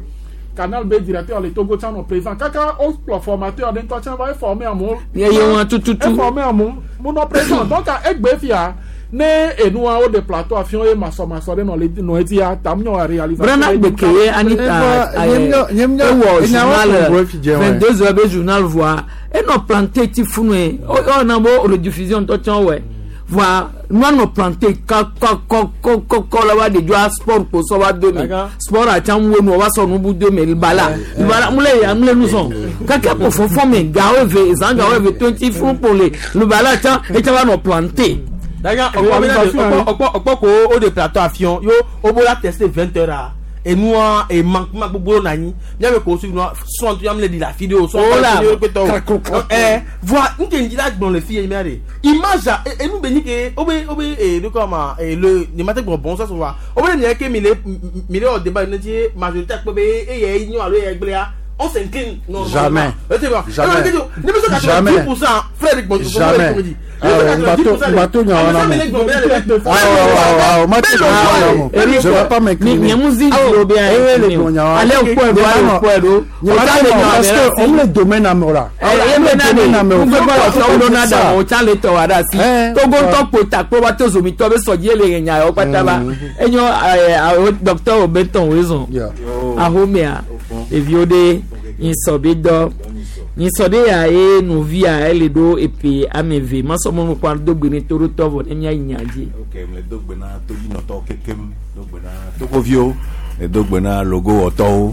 Canal B directeur le Togo tsã nɔ présent kaka o kplɔ formateur ɖe ŋutɔ tsã va eformer amewo. Ye ye wɔn tututu. Eformer amewo mo nɔ présent donc egbe fia ne enua wo de plateau afiɔ ye masɔmasɔ ɖe nɔ le nɔ edzia tam nyɔ réalisation. Brana gbeke ye Anita ewɔ journal vingt deux heures be journal voa enɔ planté ti funu ye ɔna bo rediffusion ŋutɔ tsã wɔ voa nua nɔ planté kɔkɔkɔkɔkɔ la wa de dzɔa sport kpo sɔ va do me sport atsa ŋu nu wa sɔ nubu do me libala libala mu le ya mu le nu sɔn kaka kpo fɔfɔ me gawo eve zan gawo eve twenty funu kpo le libala tsã etsa va nɔ planté. Daga ọ̀pọ̀ ọ̀pọ̀ ko o de plateau afion yo o bó la tester vingt heures a enua e manquement gbogbo na nyi miabe ko suivre nua son tu yam le di la vidéo son Ola. eh voa nke ndi la gbɔn le fi ye mia de image a enu be ni ke o be o be e de quoi ma e le ne ma te gbɔn bon ça souvent o be ne ke mi le mi le o débat ne ti majorité akpɛ be e ye nyo alo ye gblea on s'incline normalement. Jamais. Jamais. Jamais. quatre-vingt-dix pour cent frère Jamais. Bateau Je vais pas m'incliner. Parce que on le domaine à Mora. Docteur Obenton raison. Ahomea eviode insobido nyisɔde ya ye nuvi a ele ɖo epe ame eve masɔmɔnu kpa do gbe ne to ɖo tɔ vɔ ne mia yi nya dzi. Ok, mle do gbe na toyinɔtɔwo kekem, do gbe na togoviwo, le do gbe na logowɔtɔwo,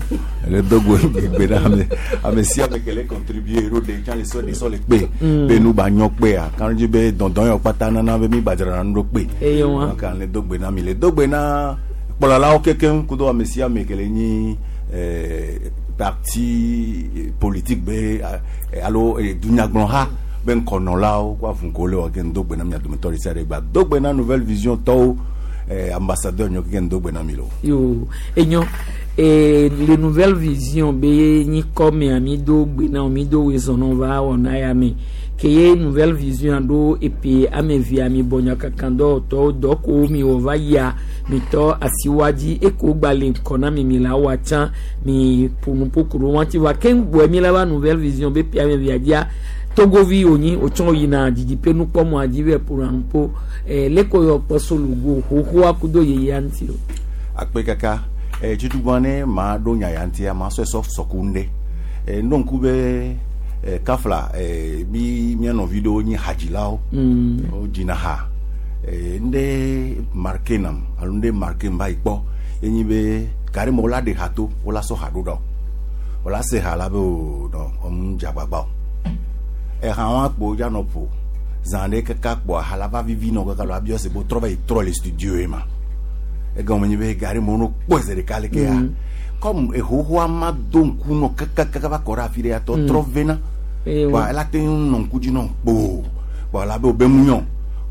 le do gbe gbe na ame ame sia ame ke le contribuer ɖo ɖe tsã le sɔ de sɔ le kpe Mm. be nu ba nyɔ kpea kan dzi be dɔndɔn yɔ kpata nana be mi gba dzrana nu ɖo kpe. Eye wa. Donc le do gbe na mi le do gbe na kplɔlawo kekem kudo ame sia ame ke le nyi eh, parti politique be eh, alo eh, dunyagblɔha be ŋkɔnɔlawo kó avuŋko le wɔ ke ŋdo gbe na mia dometɔ ɖe sia ɖe gba do gbe na nouvelle vision tɔwo eh, ambassadeur nyɔ ke ŋdo gbe na mi lo. Yo enyo e le nouvelle vision be nyikɔ mea mi do gbe na mi do wezɔnɔ va wɔna ya me ke ye nouvelle vision ɖo epe ame evea mi bɔ nyakakan dɔwɔtɔwo dɔ ko mi wɔ va yia mi tɔ asiwa dzi eko gba le ŋkɔ na mi mi la wa tsã mi ƒonuƒo wa ti va keŋ gbɔe mi la va nouvelle vision be pe ame evea dzia togovi wònyi wotsɔ yina didiƒe nukpɔmɔa dzi vɛ ƒona nuƒo ɛ leko yɔ kpɔ solugo xoxoa kudo yeyea ŋuti o. Akpe kaka eh, tutugbɔn ne maa ɖo nya ya ŋutia maa sɔe sɔ sɔku ŋɖe eh, ŋɖo ŋku be eh, kafla eh, mi mía nɔvi ɖewo nyi hadzilawo Mm. wodzina ha eh, ŋɖe marke nam alo ŋɖe marke va yi kpɔ ye nyi be gari me wola ɖe ha to wola sɔ ha ɖo ɖa o wola se ha la be o nɔ ɔmu dze agbagba o eha wa kpo dza nɔ ƒo zã ɖe kaka kpoa ha la va vivi nɔ kaka lo abiɔ se bo trɔ va yi trɔ le studio ye ma egɔme nyi be gari me wo no kpɔe zi ɖeka leke ya Mm. comme ehohoa ma do ŋku nɔ kakakaka va kɔ ɖe afi ɖe ya tɔ Mm. trɔ vena Eye wa wa. ela te ŋu nɔ ŋku dzi nɔ kpoo voa la be wo be mu nyɔ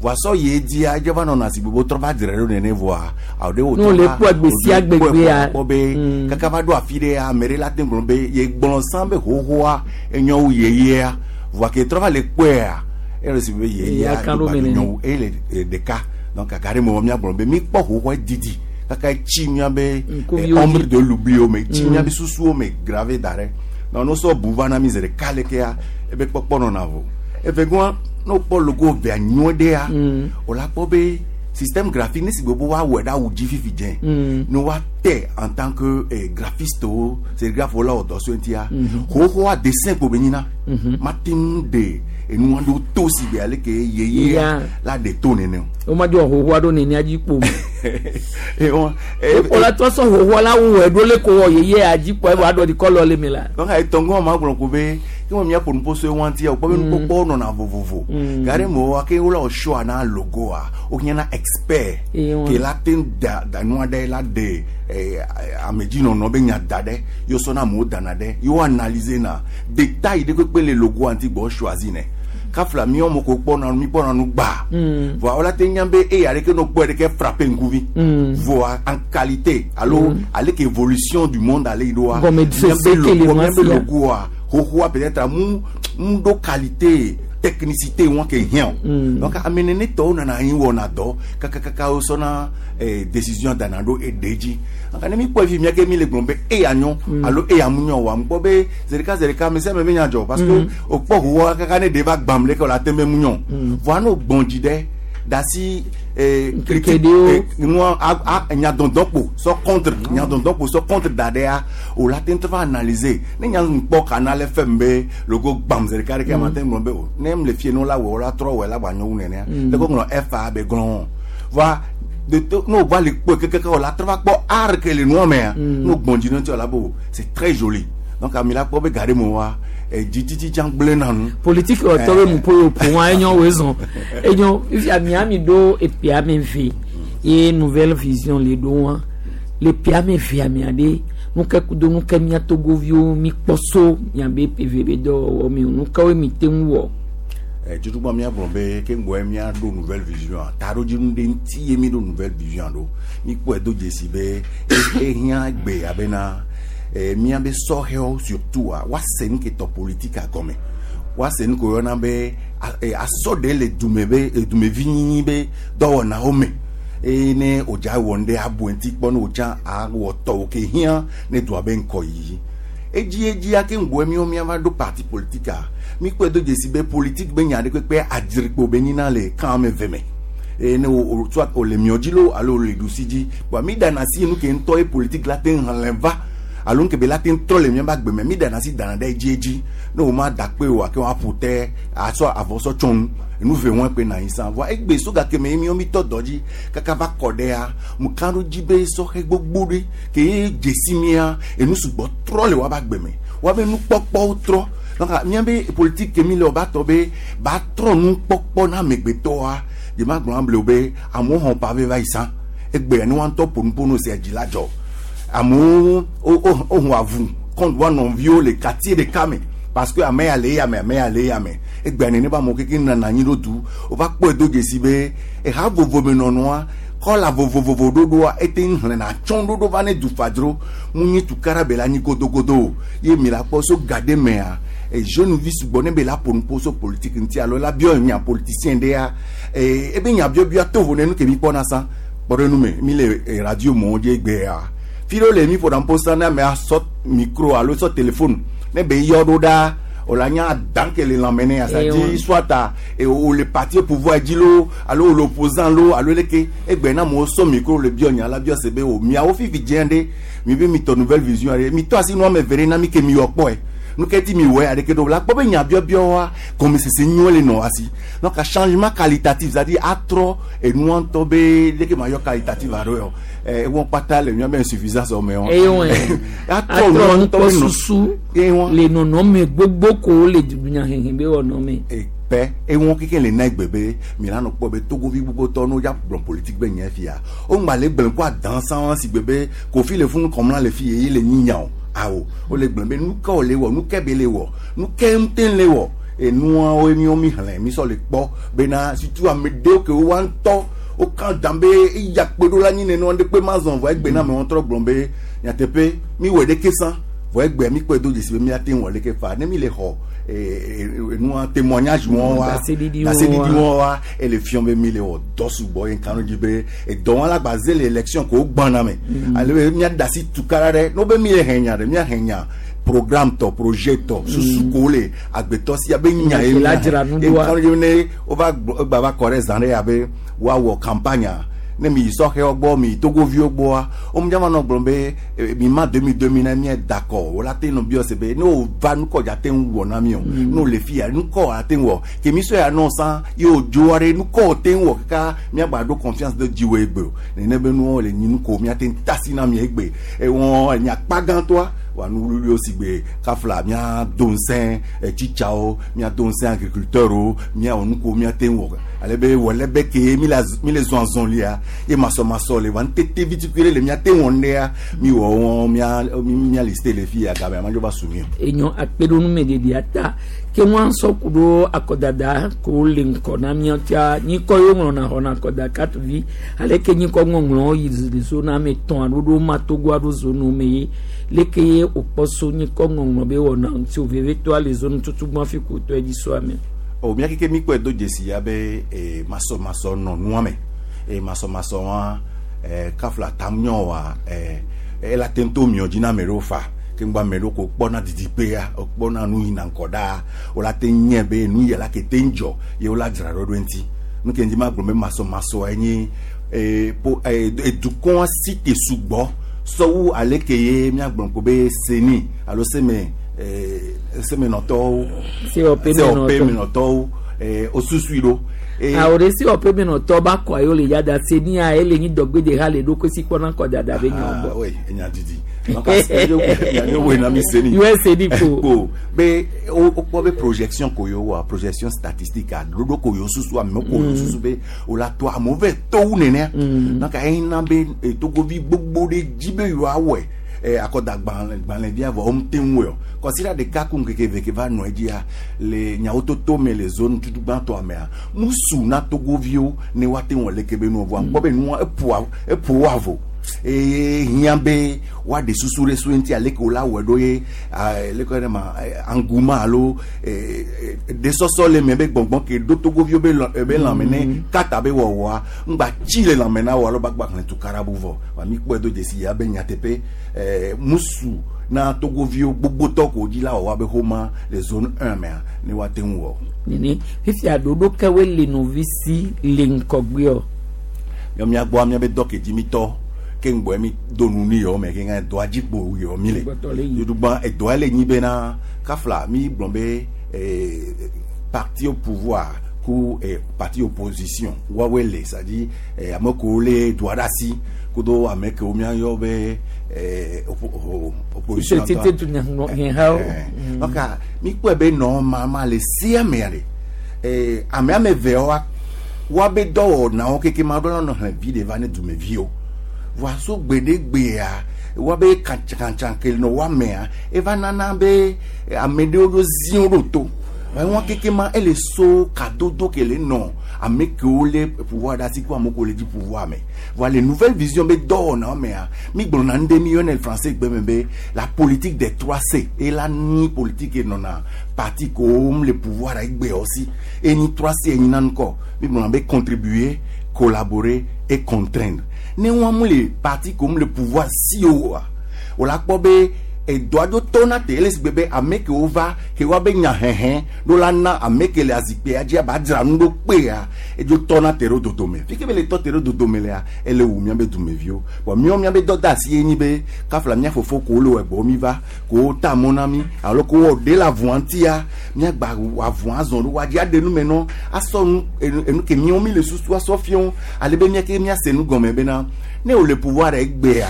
voa sɔ yi edzia edze va nɔna si gbogbo trɔ va dzre ɖo nene voa awo ɖe wo Ne wole kpɔe gbe sia gbe gbea. kpɔ be kaka va ɖo afi ɖe ya ame ɖe la te gblɔ be ye gblɔ sã be hohoa enyo wu yeyea voa ke trɔ va le kpɔea ele si be yeyea Eya kan ɖo gba me nene. nyɔ wu eye le e, ɖeka donc kaka ɖe me wɔ míagblɔ be mi kpɔ hohoa didi kaka etsi mía be Ŋkuviwo eh, ombre dzi. de l'oubli me tsi Mm. mía be susuwo me grave da ɖe donc no sɔ bu va na mi zi ɖeka lekea ebe kpɔkpɔ nɔna vo evegɔa ne wokpɔ logo vea nyuie ɖea wola kpɔ be système graphique ne si gbogbo woawɔe ɖe awu dzi fifi dze Mm. ne woate en tant que eh, graphiste wo sérigraphe wo la wɔ dɔ so ŋutia Mhm. xoxoa dessin kpo be nyina Mhm. mate ŋu ɖe enua ɖewo to si be aleke yeyea Ya. la ɖe to nene o. womadzɔ xoxoa ɖo nenia dzi kpo me. Eh, wɔn- eh, Ekpo la trɔ sɔ xoxoa la wu ɛɖo le ko wɔ yeyea dzi kpɔ evɔ aɖɔ ɖi kɔlɔ le me la. donc etɔngɔ ma gblɔ ko be ke me míaƒo nuƒo so ewa ŋutia wòkpɔ be nukpɔkpɔwo nɔna vovovo Mm. gari me woa ke wola wɔ shoa na logoa wohiã na expert Eye wa. ke la te ŋu da da nua ɖe la ɖe eh, amedzinɔnɔ be nya da ɖe yewo sɔna amewo dana ɖe yewo analyse na détail ɖe kpekpe le logoa ŋuti gbɔ choisi nɛ kafla míawo me ko kpɔna nu mi kpɔna nu gbaa Mm. voa wola te nya be eya ɖeke no kpɔe ɖeke frappe ŋkuvi Mm. voa en qualité alo Mm. ale ke évolution du monde ale yi ɖoa Gɔmesese míabe ke le logo ma míabe sia. logoa xoxoa peut-être mu mu ɖo qualité technicité wọn ke hiã o Mm. donc ame nene tɔwo nana anyi wɔna dɔ kakakaka wo sɔna eh, décision dana ɖo eɖe dzi donc ne mi kpɔ fi mia ke mi le gblɔm be eya nyɔ alo eya mu nyɔ wa mu kpɔ be zeɖeka zeɖeka ame sia ame be nya dzɔ parce que Mm. o kpɔ ʋuwɔ kaka ne ɖe va gbam leke o la te be mu nyɔ Mm. voa ne o gbɔn dzi ɖe dasi eh, Ŋkeke ɖewo. eh, nua a a nyadɔdɔkpo sɔ contre nyadɔdɔkpo sɔ contre da ɖea o la te ŋutɔ va analyser ne nya ŋkpɔ kanal fm be logo gbam zeɖeka ɖeke ma te ŋlɔ be o ne m le fie ne la wɔ o la trɔ wɔ la gba nyɔ wu nenea Mm. le ko ŋlɔ fa be glɔn va de to ne o va le kpɔe kekeke o la trɔ va kpɔ art ke le nua mea Mm. ne o gbɔn dzi ne ŋuti o la be o c'est très joli donc ami la kpɔ be ga ɖe me wa dzitsitsi tsã gblẽ na nu. Politique wɔtɔ be nuƒo yi ƒo wa enyo wo zɔn enyo fifia miami ɖo epia me ve ye nouvelle vision le ɖo wa le pia me vea mia ɖe nuke kudo nuke mia togoviwo mi kpɔ so miabe pv be dɔwɔwɔ mi o nukewoe mi te ŋu wɔ. Eh, tutugbɔ míagblɔ be ke ŋgɔe míaɖo nouvelle vision a taɖodzinu ɖe ŋuti ye míɖo nouvelle vision ɖo míkpɔe do dzesi be e- ehiã gbe abena eh, míabe sɔhɛwo surtout a woase nu ke tɔ politika gɔme woase nu ke woyɔna be a- eh, asɔ ɖe le dume be eh, dumevinyinyi be dɔwɔnawo me eye ne wòdza wɔ nu ɖe abu ŋuti kpɔ ne wòdza awɔ tɔwo ke hiã ne dua be ŋkɔyiyi edzi edzia ke ŋgɔe míwo míava ɖo parti politique a míkpɔe do dzesi be politique be nya ɖe kpekpe adzrikpo be nyina le kan ame eve me eye ne wo wo soit wòle miɔ dzi loo alo wòle ɖusi dzi kpoa mi ɖana asi nu ke ŋutɔ ye politique la te hlẽ va alo nu ke be la te trɔ le míaƒe agbe me mi ɖana asi dana ɖe edzi edzi ne wo ma da kpe oa ke woaƒo te asɔ avɔ sɔ tsɔ nu enu ve wɔn kpe na anyi sã voa egbe so gake me ye míawo mi tɔ dɔ dzi kaka va kɔ ɖea mu ka ɖo dzi be sɔhɛ gbogbo ɖe ke ye dzesi mía enu sugbɔ trɔ le woabe agbe me woabe nukpɔkpɔwo trɔ donc míabe politique ke mi le wo ba tɔ be ba trɔ nukpɔkpɔ na amegbetɔa dze ma gblɔ able be amewo xɔ pavé va yi sã egbea ne woa ŋutɔ ƒo nuƒo no sia dzi la dzɔ amewo wo wo wo hu avu kɔntu wa nɔviwo le quartier ɖeka me parce que ame ya le eya me ame ya le eya me egbea nene be amewo keke nana anyi ɖo du wova kpɔe do dzesi be eha vovo me nɔnɔa kɔla vovovovo ɖoɖoa ete ŋu xlẽna atsɔ ɖoɖo va ne dufadzro mu nyi tukara be la nyi godogodo o ye mi la kpɔ so ga ɖe mea e jeune vi sugbɔ ne be la ƒo nuƒo so politique ŋuti alo la biɔ nya politicien ɖea ee ebe nya biɔbiɔ to vo ne nu ke mi kpɔna sã kpɔ ɖe nu me mi le eh, radio mɔwo dzi egbea fi ɖewo le mi ƒona nuƒo sã ne amea sɔ micro alo sɔ téléphone ne be yɔ ɖo ɖa o la nya dan ke le lãme ne Eh, asa ouais. dzi soit a e o le parti au pouvoir dzi lo alo o le opposant lo alo leke egbe na amewo sɔ micro le biɔ nya la biɔ se be o miawo fifi dzẽ ɖe mi be mi tɔ nouvelle vision ɖe mi tɔ asi nu ame eve ɖe na mi ke mi wɔ kpɔe nu ke ti mi wɔ aɖeke ɖo la kpɔ be nya biɔbiɔwoa gɔmesese nyuie le nɔ asi donc changement qualitatif c'est à dire atrɔ enua ŋutɔ be leke ma yɔ qualitatif alo yɔ ɛ ewɔ kpata le mía be insuffisance me wɔ eye wɔn atrɔ atrɔ nua ŋutɔ be nɔ nukpɔsusu le nɔnɔme gbogbo ko le dunyahehe be wɔnɔme. pɛ ewɔn keke le na egbe be mi la nɔ kpɔ be togovi gbogbotɔ n'o ya gblɔ politique be nyɛ fia o ŋgba le gblẽ ko adan sãn si gbe be kofi le funu kɔmla le fi ye ye le nyinya o awo o le gblẽ be nu ke o le wɔ nu ke be le wɔ nu ke ŋute le wɔ enuawo miwo mi xlẽ mi sɔ le kpɔ bena surtout ame ɖewo ke woa ŋutɔ wo kan dan be eya kpe ɖo la nyi nenema ɖe kpe ma zɔn vɔ egbe na ame wɔn trɔ gblɔ be nyateƒe mi wɔ ɖeke sã vɔ egbe mi kpɔe do dzesi be miate ŋu wɔ ɖeke fa ne mi le xɔ eh, eh, enua témoignage wɔn wa Ɖaseɖiɖi ɖaseɖiɖi wɔn wa. wɔn wa ele fiɔ be mi le wɔ dɔ sugbɔ ye kan dzi be edɔ wɔn la gba ze le élection ko gbɔna me Mm. ale be mia da asi tukara ɖe n'o be mi le hɛ nya ɖe mia hɛ nya programme tɔ projet tɔ susu ko le agbetɔ sia be nya ye Nya ke la mia dzra hɛ. nu Ye ɖoa. kan dzi be ne wova gblɔ egba va kɔ ɖe zã ɖe ya be woawɔ campagne ne mi yi sɔhɛwo gbɔ mi yi togoviwo gbɔa wo mu dzama nɔ gblɔm be eh, mi ma demi demi na mia da kɔ wo la te nɔ biɔ se be ne wo va nukɔ dza te ŋu wɔ na mi o ne wo le fi ya nukɔ la te ŋu wɔ ke mi sɔ ya nɔ sã ye wo dzo aɖe nukɔ wo te ŋu wɔ kaka miagba ɖo confiance ɖe dziwò egbe o nene be nuwo le nyi nuko miate ŋu tasi na mi egbe ewɔ nyakpa gãtɔa wa nu wluwluiwo si gbe kafla miado ŋusẽ tsitsawo miado ŋusẽ agriculteurwo miawɔ nuko miate ŋu wɔ ale be wɔ be ke mi le az- mi le zɔn azɔlia ye masɔmasɔ le wa ŋutete vitukui ɖe le miate ŋu wɔ ŋɖea mi wɔ wɔn mia mi mia liste le fi ya game amadzo va su mi o. enyo akpeɖonumeɖeɖia ta ke ŋua sɔ ku ɖo akɔdada ko le ŋkɔ na míawo tia nyikɔ yewo ŋlɔna xɔna akɔda katuvi aleke nyikɔ ŋɔŋlɔ yi le zona ame etɔ̃ alo ɖo ma togo aɖo zonu me ye leke ye wòkpɔ so nyikɔ ŋɔŋlɔ be wɔna ŋuti o vevitɔa le zonu tutugbɔn fi ko tɔ edzi so ame. O mía keke mi kpɔe do dzesi ya be eh, masɔmasɔ nɔ nua me eye masɔmasɔ wa eh, kafla tam nyɔ wa eh, ela te ŋu to miɔ dzi na ame ɖewo fa ke ŋgbɔ ame ɖewo ko kpɔna didiƒea wokpɔna nu yina ŋkɔ ɖaa wola te nye be nu yia la ke te ŋdzɔ ye wola dzra ɖo ɖo eŋuti nu ke ŋdi ma gblɔ be masɔmasɔa nye eh, po eh, edukɔa si te sugbɔ sɔwu ale ke ye míagblɔ ko be seni alo seme eh, semenɔtɔwo C O P C O P menɔtɔwo eh, wosusui ɖo. Eh, awo ɖe C O P menɔtɔ ba kɔ ayo le yada senia ele nyi dɔgbe ha le ɖo si kpɔna kɔ dada be nyɔ gbɔ. Ah, oui, enya didi. Donc, wo na mi seni. U S A ko. Ko be o kpɔ be projection ko yo wa projection statistique a ɖoɖo ko yo susu amewo ko yo susu be o la to amewo vɛ to wu nenea. Donc eyina be eh, togovi gbogbo ɖe dzi be yewoawɔe eh, akɔda gbalẽ gbalẽvia vɔ wɔm te ŋu o kɔsira ɖeka ku ŋkeke eve ke va nɔ edzia le nyawo toto me le zone tutu gbãtɔa mea musu na togoviwo ne woate ŋu leke be nuwo vɔa ŋkpɔ be nua eƒoa eƒo wo avo eye hiã be woaɖe susu ɖe so ŋuti aleke wo la wɔe ɖo ye ah, leke ɖe ma eh, engouement alo eh, eh, ɖesɔsɔ le me be gbɔngbɔn ke ɖo togoviwo be lɔ- be lãme ne kata be wɔwɔa ŋgba tsi le lãme na wo alo ba gba xlẽ tukarabu vɔ wa mi kpɔe do dzesi ya be nyateƒe eh, musu na togoviwo gbogbotɔ ko dzi la wɔwɔ be xoma le zone un mea ne woate ŋu wɔ. Nene fifia ɖoɖo kewoe le nɔvi si le ŋkɔgbeɔ. Miɔ miagbɔ miabe dɔ ke dzi mi tɔ ke ŋgbɔ mi do nu ni yɔ me ke ŋa dɔa dzi kpo yɔ mi le yoɖugba edɔa le nyi bena kafla mi gblɔ be eh, parti au pouvoir ku eh, parti opposition woawoe le, c'est à dire eh, ame kewo le doa ɖe asi kudo ame kewo miayɔ be eh, oppo- o- opposition. Tete dunyahehawo. Eh, donc mi kpɔe be normalement le sia mea le eh, ame ame eveawoa woabe dɔwɔnawo keke ma ɖo nɔ xlẽ vi ɖe va ne dumeviwo voa so gbeɖegbea woabe kantsakantsa ke nɔ woamea eva nana be ame ɖewo ɖo ziwo ɖo to wɔn keke ma ele so kadodo ke le nɔ ame kewo le pouvoir ɖe asi ko ame kewo le dzi pouvoir me. Voa le nouvelle vision be dɔwɔnawo mea mi gblɔna nu ɖe mi yɔna le français gbe me be la politique des trois C ela ni politique nɔna parti kewo le pouvoir egbeawo si eni trois C enyi na ŋkɔ mi gblɔna be contribuer, collaborer et contraindre. Ne wɔn mu le parti kewo mu le pouvoir si o wa o la kpɔ be edɔ aɖo tɔna te ele si gbe be ame kewo va ke woabe nya hɛhɛ ɖo la na ame ke le azikpea dzia ba dzra nu ɖo kpea edzo tɔna te ɖo dodome fi ke be le tɔ te ɖo dodome lea ele wu miabe dumeviwo bɔn miawo miabe dɔ da asi ye nyi be kafla mia fofo kowo le wɔ mi va kowo ta mɔ na mi alo kowo wɔ ɖe le avua ŋutia miagba avua azɔ ɖo woadzi aɖe nu me nɔ asɔ nu enu enu ke miawo mi le susu asɔ fiɔ ale be miake miase nu gɔme bena ne wo le pouvoir egbea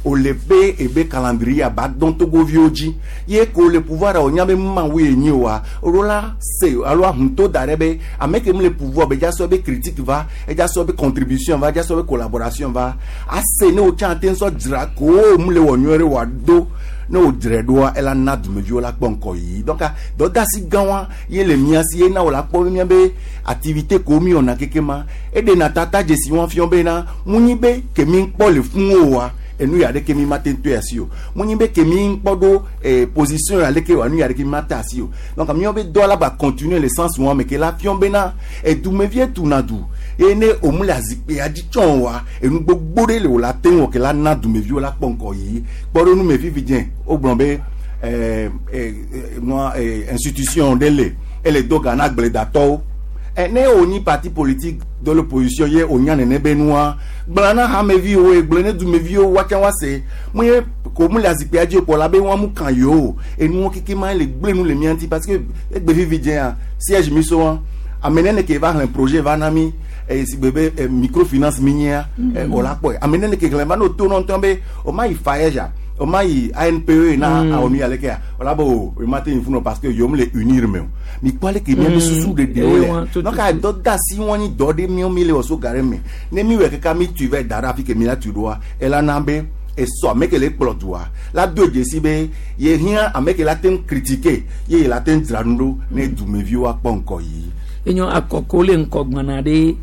o le be ebe calendrier ba dɔn togoviwo dzi ye ko le pouvoir o nya be mawu ye nyi oa o la se alo ahunto da ɖe be ame ke mu le pouvoir be dza sɔ be critique va edza sɔ be contribution va edza sɔ be collaboration va ase ne o tsã te ŋusɔ dzra ko mu le wɔ nyuie ɖe wòa do ne o dzre ɖoa ela na dumeviwo la kpɔ ŋkɔ yi. Donc dɔdasi gã wa ye le mia si ye na wo la kpɔ be mia be activité ko mi wɔna keke ma eɖena tata dzesi wɔn fiɔ bena mu nyi be ke mi kpɔ le fún o wa enu ya ɖeke mi ma te to asi o mu nyi be ke mi kpɔ ɖo eh, position ya leke wa enu ya ɖeke mi ma te asi o. Donc miawo be dɔ la ba continuer le sens wɔn me ke la fiɔ bena edumevie tuna du ye ne òmu le azikpea dzi tsɔn wa enu gbogbo ɖe le wò la te wɔ ke la na dumeviwo la kpɔ ŋkɔ yi kpɔ ɖo nu me vivi dze wogblɔ be eh, eh, nua eh, institution ɖe le ele do ga na agbledatɔwo ɛ ne o nyi parti politique de l'opposition ye o nya nene be nua gblɔ na hameviwo ye gblɔ ne dumeviwo woatsã woase mu ye ko mu le azikpea dzi kpɔ la be wɔn mu kan yewo enuwo keke ma le gblẽ nu le mía ŋuti parce que egbe vivi dzea siège mi so wa ame nene ke va xlẽ projet va na mi eye si gbe be eh, microfinance mi nyia eh, o la kpɔe ame nene ke xlẽ va no to nɔntɔn be o ma yi FAEJ o ma yi A N P E na mm. awɔ nu ya leke o la be o o ma te yin funu parce que yom le unir me o mi kpɔ ale ke mía be susu ɖeɖewo le donc a dɔ da si wɔn nyi dɔ ɖe míawo mi le wɔ so ga ɖe me ne mi wɔ keka mi tui vɛ da ɖe afi ke mi la tui ɖoa ela na be esɔ ame ke le kplɔ dua la do dzesi be ye hiã ame ke la te ŋu critiquer ye ye la te ŋu dzra nu ɖo ne dumeviwo akpɔ ŋkɔ yi. Enyo akɔko le ŋkɔgbana ɖe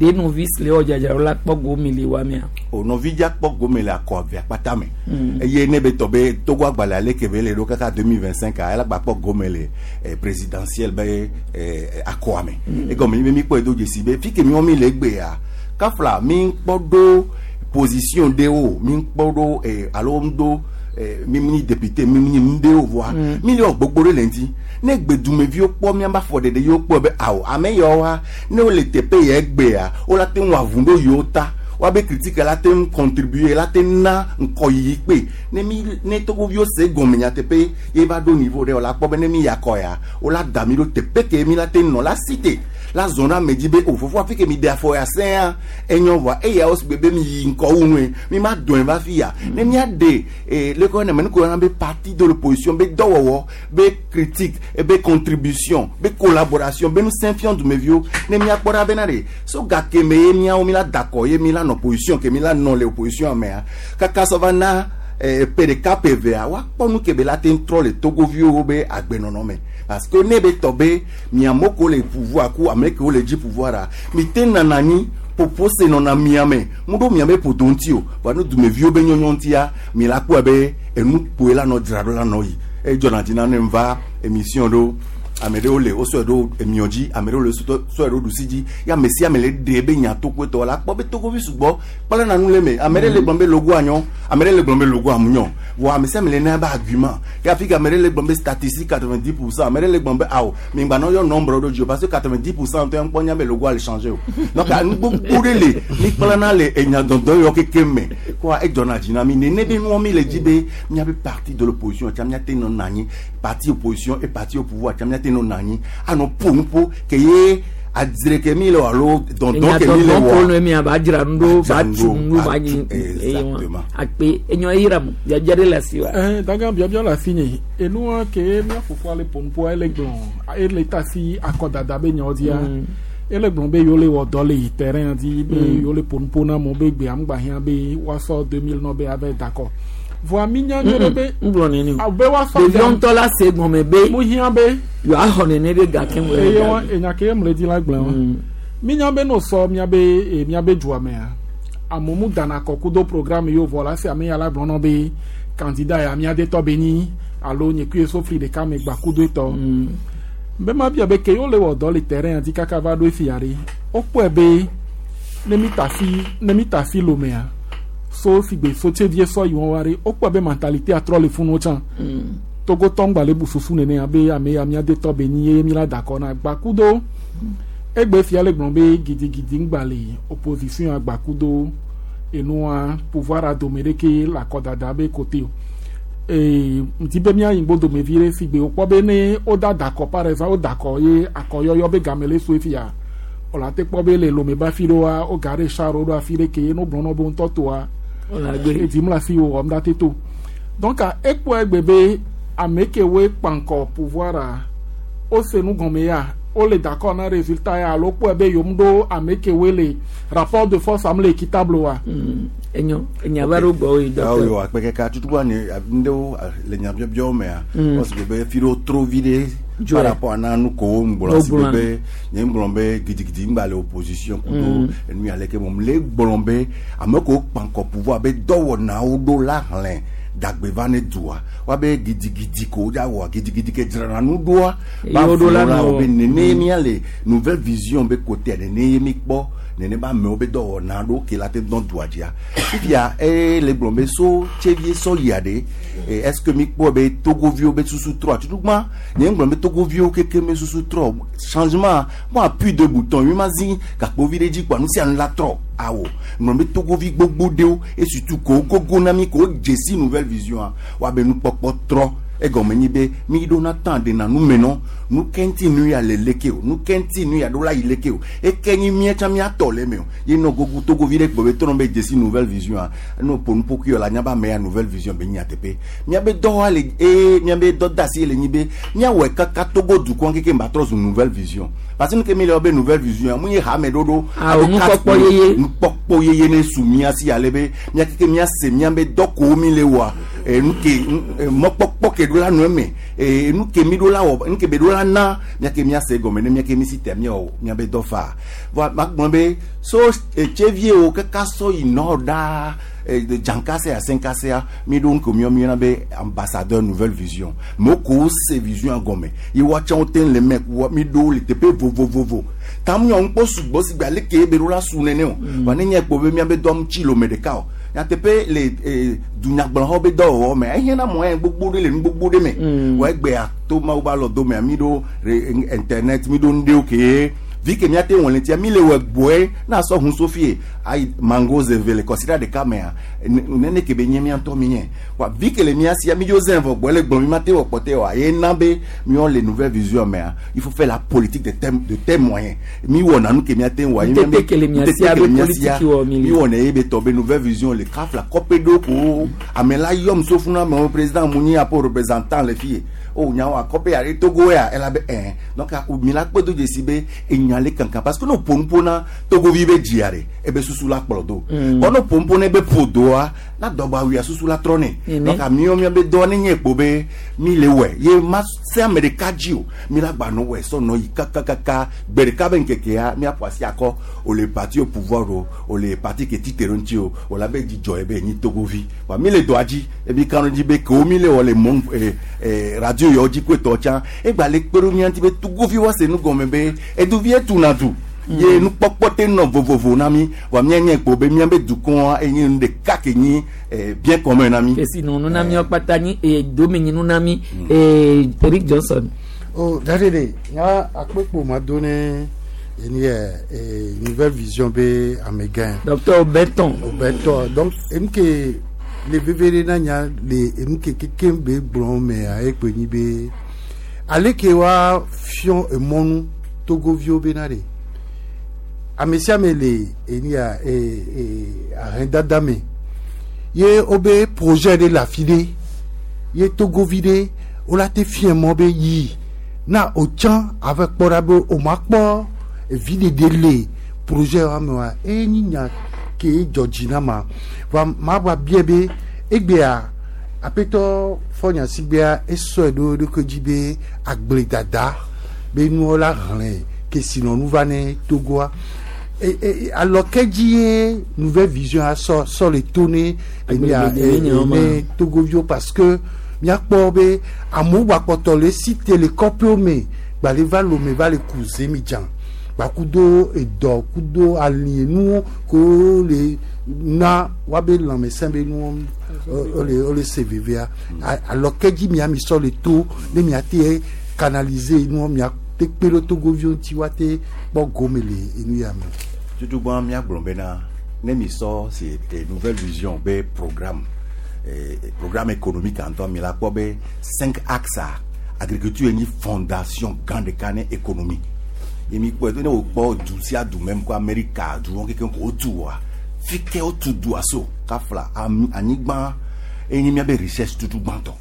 De nɔvi si le wɔ dzadzraɖo la kpɔ gome le wa mea. O nɔvi dza kpɔ gome le akɔ avea kpata me. Mm. Eye ne be tɔ be Togo agbalẽ ale ke be le ɖo kaka deux mille vingt cinq a ela gba kpɔ gome le eh, présidentielle be eh, akɔa me. Mm. Egɔme nyi be mi kpɔe do dzesi be fi ke miwɔ mi le egbea kafla mi kpɔ ɖo position ɖewo mi kpɔ ɖo eh, alo ŋdo eh, mi nyi député mi nyi nu ɖewo voa Mm. mi le wɔ gbogbo ɖe le ŋuti ne gbedumeviwo kpɔ miaba afɔɖeɖe yiwo kpɔ be awo ame yawoa ne wole teƒe ya egbea wola te ŋu avu ɖo yewo ta woabe critique la te ŋu contribuer la te na ŋkɔyiyi kpe ne mi ne togoviwo se gɔme nyateƒe ye va ɖo niveau ɖe wola kpɔ be ne mi ya kɔ ya wola da mi ɖo teƒe ke mi la te nɔ la cité la zɔn na ame dzi be o fofo afi ke mi de afɔ ya sẽa enyɔ vɔa eya wo si gbe be mi yi ŋkɔ wu nue mi ma dɔn va fi ya ne mia de ee le kɔ ne me nu ko yɔna be parti de l'opposition be dɔwɔwɔ be critique be contribution be collaboration be nusẽ fiɔ dumeviwo ne mia kpɔ ɖa bena de so gake me ye miawo mi la da kɔ ye mi la nɔ position ke mi la nɔ le opposition mea kaka sɔ va na eh, ƒe ɖeka ƒe evea woakpɔ nu ke be la te ŋu trɔ le togoviwo be agbenɔnɔ me parce que ne be tɔ be miamewo ko le pouvoir ku ame kewo le dzi pouvoir a mi te nana anyi ƒoƒo se nɔna mia me mu ɖo miabe ƒodo ŋuti o vɔa ne dumeviwo be nyɔnyɔ ŋutia mi la kpɔe be enu kpoe la nɔ dzra ɖo la nɔ yi edzɔna dzi na ne va émission ɖo ame ɖewo le wosɔe ɖo emiɔ dzi ame ɖewo le sɔe ɖo ɖusi dzi ya ame sia ame le ɖe be nyatokoetɔ la kpɔ be togovi sugbɔ kpla na nu le me ame ɖe le gblɔm be logo anyɔ ame ɖe le gblɔm be logo amunyɔ vɔ ame sia ame le na be argument ke afi ka ame ɖe le gblɔm be statistique quatre vingt dix pour cent ame ɖe le gblɔm be awo mi gba nɔ yɔ nombre ɖo dzi o parce que quatre vingt dix pour cent ŋutɔ ŋkpɔ nya be logo ale changer o donc nu gbogbo ɖe le mi kpla na le enyadɔdɔ yɔ keke me koa edzɔna dzi na mi nene be nuwɔ mi le dzi be miabe parti de l'opposition tsa miate nɔ na anyi parti opposition et parti au pouvoir tsa miate nɔ na anyi anɔ ƒo nu ƒo ke ye adzre ke mi le o alo dɔndɔn ke mi le Enyadɔdɔn wɔa ko nu mi ba dzra nu ɖo ba tu nu ba nyi exactement. akpe enyɔ eyira mu biabia ɖe le asi wa. Eh, daga biabia le asi nye enua ke mía fofoa le ƒonuƒoa ele gblɔ ele ta si akɔdada be nyawo dzia Mm. ele gblɔ be yewo le wɔ dɔ le yi terrain dzi be Mm. yewo le ƒonuƒo na amewo be gbea ŋgba hiã be woasɔ deux mille nɔ be ava da akɔ voa mi nya nyuie ɖe be ŋgblɔ nene o be woasɔ ɖeviwo ŋutɔ la se gɔme be mu hiã be yewoaxɔ nene be gake mu eye wa enya ke ye mu le di la gblẽ wa mi nya be no sɔ miabe eh, miabe dua mea amewo mu dana kɔ kudo programme yiwo vɔ la se ame ya la gblɔ nɔ be candidat ya mía detɔ be nyi alo nye kui sofli ɖeka me gba kudo etɔ be ma bia be ke yewo le wɔ dɔ le terrain dzi kaka va ɖo efia ɖe wokpɔe be ne mi ta si ne mi ta si lomea so sigbe so tsevie sɔ yi wɔn wa ɖe wokpɔe be mentalité atrɔ le funu tsã togotɔ ŋgba le bu susu nene abe ame ya mía detɔ be nyi ye mi la da akɔ na gba kudo egbe fia le gblɔ be gidigidi ŋgba le opposition agba kudo enua pouvoir adome ɖeke le akɔdada be kote o ee ŋdi be mía yi ŋgbo vi ɖe si gbe wokpɔ be ne woda da akɔ par exemple woda akɔ ye akɔyɔyɔ be game le so efia wòle te kpɔ be le lome be afi ɖewoa woga ɖe char ɖo afi ɖe ke ye no gblɔ nɔ be ŋutɔ toa edim le afi wo wɔm ɖa te to donc ekpɔ egbe be ame kewoe kpankɔ pouvoir a wose nu gɔme ya wole d'accord na résultat ya alo kpɔe be yom ɖo ame kewoe le rapport de force am le équitable wa. enyo enya va ɖo gbɔ yi awo docteur. yɔ akpe kaka tutugbɔ ni ŋɖewo le nyabiɔbiɔwo mea Mm. wɔsi be fi ɖewo trɔ vi ɖe Dzɔe. par rapport na nu kowo ŋgblɔ si Wogblɔa. be nye ŋgblɔ be gidigidi ŋgba le opposition kudo Mm. enu ya leke mɔ le gblɔ be ame kewo kpankɔ pouvoir be dɔwɔnawo ɖo la hlẽ dagbe va ne dua woabe gidigidi ko wodza wɔa gidigidi ke dzrana nu ɖoa ba Yewo ɖo la flo la nɔ- wo be nene Mm. mía le nouvelle vision be kotea nene ye mi kpɔ nene be amewo be dɔwɔna ɖo ke la te dɔn dua dzia fifia eye le gblɔ be so tsevie sɔ yia ɖe eh, est ce que mi kpɔ be togoviwo be susu trɔ tutugbã nye ŋgblɔ be togoviwo keke me susu trɔ changement mo appui de bouton mi ma zi gakpovi ɖe dzi kpoa nu sia nu la trɔ awo ŋgblɔ be togovi gbogbo ɖewo et surtout ko gogo na mi ko dzesi nouvelle vision a woabe nukpɔkpɔ trɔ egɔme nyi be mi ɖo na tan de na nu me nɔ nu kɛntì nu ya le leke o nu kɛntì nu ya ɖo la yi leke o eke nyi mía tsã mía tɔ le me o ye nɔ gogo togovi ɖe gbɔ be tɔnɔ be dzesi nouvelle vision a no ƒo nuƒo kui la nya be ame ya nouvelle vision be nya teƒe míabe dɔwɔa le eye míabe dɔdeasi le nyi be míawɔe kaka togo dukɔ keke ma trɔ zu nouvelle vision parce que nu ke mi le wɔ be nouvelle vision mu ye hame ɖoɖo Awo, nukpɔkpɔ yeye. nukpɔkpɔ yeye ne su mía si ale be mía keke mía se míabe dɔ kowo mi le wɔa enu ke mɔkpɔkpɔ ke ɖo la nɔ eme enu ke mi ɖo la wɔ nu ke be ɖo la na miake miase gɔme ne miake mi si te miawɔ miabe dɔ faa vɔa magblɔ be so etsevie wo kaka sɔ yi nɔ ɖaa dzankasea senkasea mi ɖo nu ke miɔ miɔna be ambassadeur nouvelle vision me ko se vision gɔme ye woatsã te le me mi ɖo le teƒe vovovovo tam nyɔ ŋkpɔ sugbɔ si gbe ale ke be ɖo la su nene o wa ne nye kpo be miabe dɔm tsi lome ɖeka o nyateƒe le dunyagblɔxɔ be dɔwɔwɔ me ehiã mɔ gbogbo ɖe le nu gbogbo ɖe me wa egbea to mawu ba lɔ do mea mi ɖo internet mi ɖo nu ɖewo ke vi ke miate wɔn le tia mi le wɔ gbɔe na sɔ hun sofie ayi mango zeve le kɔsira ɖeka mea nene ke be nye mia ŋutɔ mi nye wa vi ke le mia sia mi dzo zɛn vɔ gbɔ le gblɔ mi ma te wɔ kpɔtɛ wa ye na be miɔ le nouvelle vision mea il faut faire la politique de tes de tes moyens mi wɔ nanu ke mia te wɔ ye mi ke le mia sia be politique wɔ mi mi wɔ ne ye be tɔ be nouvelle vision le kafla kɔpe ɖo ko ame la yɔm sofuna ame président mu nyi apo représentant le fie o nyawo akɔpe ya Togo ya ela be ɛn donc mi la kpe do dzesi be enya le kankan parce que no ƒonuƒo na togovi be dzia ɖe ebe susu la kplɔ do bɔn no ƒonuƒo na ebe ƒo doa na dɔgba wuia susu la trɔ nɛ donc amiwo mia be dɔ ne nye kpo be mi le wɔe ye ma se ame ɖeka dzi o mi la gba nɔ wɔe sɔ nɔ yi kakakaka gbe ɖeka be ŋkekea miaƒo asi akɔ o le parti au pouvoir o o le parti ke ti te ɖo ŋuti o o la be dzidzɔ ye be nyi togovi wa mi le dɔa dzi ebi kan dzi be kewo mi le wɔ le mɔ ee ee radio yawo dzi koe tɔ tsã egba le kpe ɖo mia ŋuti be togovi wa se nu gɔme be eduvi etuna du ye nukpɔkpɔ te nɔ vovovo na mi wa mianye kpo be miabe dukɔa enye nu ɖeka ke nyi bien commun na mi. kesi nunu na mi kpata nyi domenyi nu na mi Eric Johnson. o dade de nya akpekpo ma do ne eni yɛ nouvelle vision be amegã. Docteur Obeton. Obeton donc enu ke le veve ɖe na nya le enu ke keke be gblɔ mea ekpe nyi be ale ke wa fiɔ emɔnu togoviwo bena ɖe ame sia ame le eni ya ee ee ahɛndada me ye wobe projet ɖe le afi ɖe ye togovi ɖe wola te fiɛ mɔ be yi na otsã ave kpɔ ɖa be o ma kpɔ evi ɖeɖe le projet wa me wa eye nyi nya ke dzɔ dzi na ma va ma va bia be egbea aƒetɔ fɔnyasigbea esɔe ɖo eɖokui dzi be agbledada be nuwo la hlẽ kesinɔnu va ne Togoa alɔke dzi ye nouvelle vision sɔ sɔ le to ne ne togoviwo parce que miakpɔ be amewo gbakpɔtɔ le si te le kɔƒewo me gbale va lome va le ku zemidza gbakudo edɔ kudo alienuwo ko le na woabe lãmesẽ be nuwo wole wole se vevea alɔke dzi miami sɔ le to ne miate canaliser nuwo miate kpe ɖe togoviwo ŋuti woate kpɔ gome le enu ya me. Tutugbɔn miagblɔ bena ne mi sɔ si nouvelle vision be programme eh, programme économique ŋutɔ mi la kpɔ be cinq axes agriculture nyi fondation gã ɖeka ne économie ye mi kpɔe ne wò kpɔ du sia du mɛm ko Amerika du wɔn kekeŋ ko wotu wa fi ke wotu dua so kafla anyigba eye nyi miabe richesse tutu gbãtɔ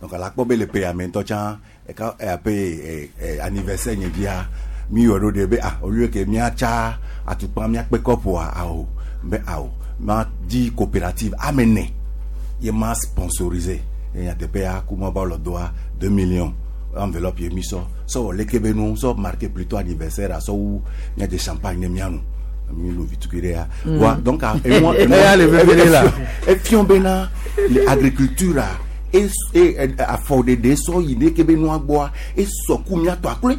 donc ala kpɔ be le ƒe ya me ŋutɔ tsã eka aƒe anniversaire nye via mi wɔ ɖo ɖe be ah au lieu que miatsa atukpa miakpe kɔpoa awo be awo ma di coopérative ame ne ye ma sponsorisé ye nyateƒea kuma ba lɔ doa deux millions enveloppe ye mi sɔ sɔ wɔ leke be nu sɔ marqué plutôt anniversaire sɔ wu miadze champagne ne mianu mi lo vitukui ɖe ya wa donc enua enua efiɔ bena le agriculture e e afɔɖeɖe sɔ yi ne ke be nua gbɔa esɔ ku miatɔ akloe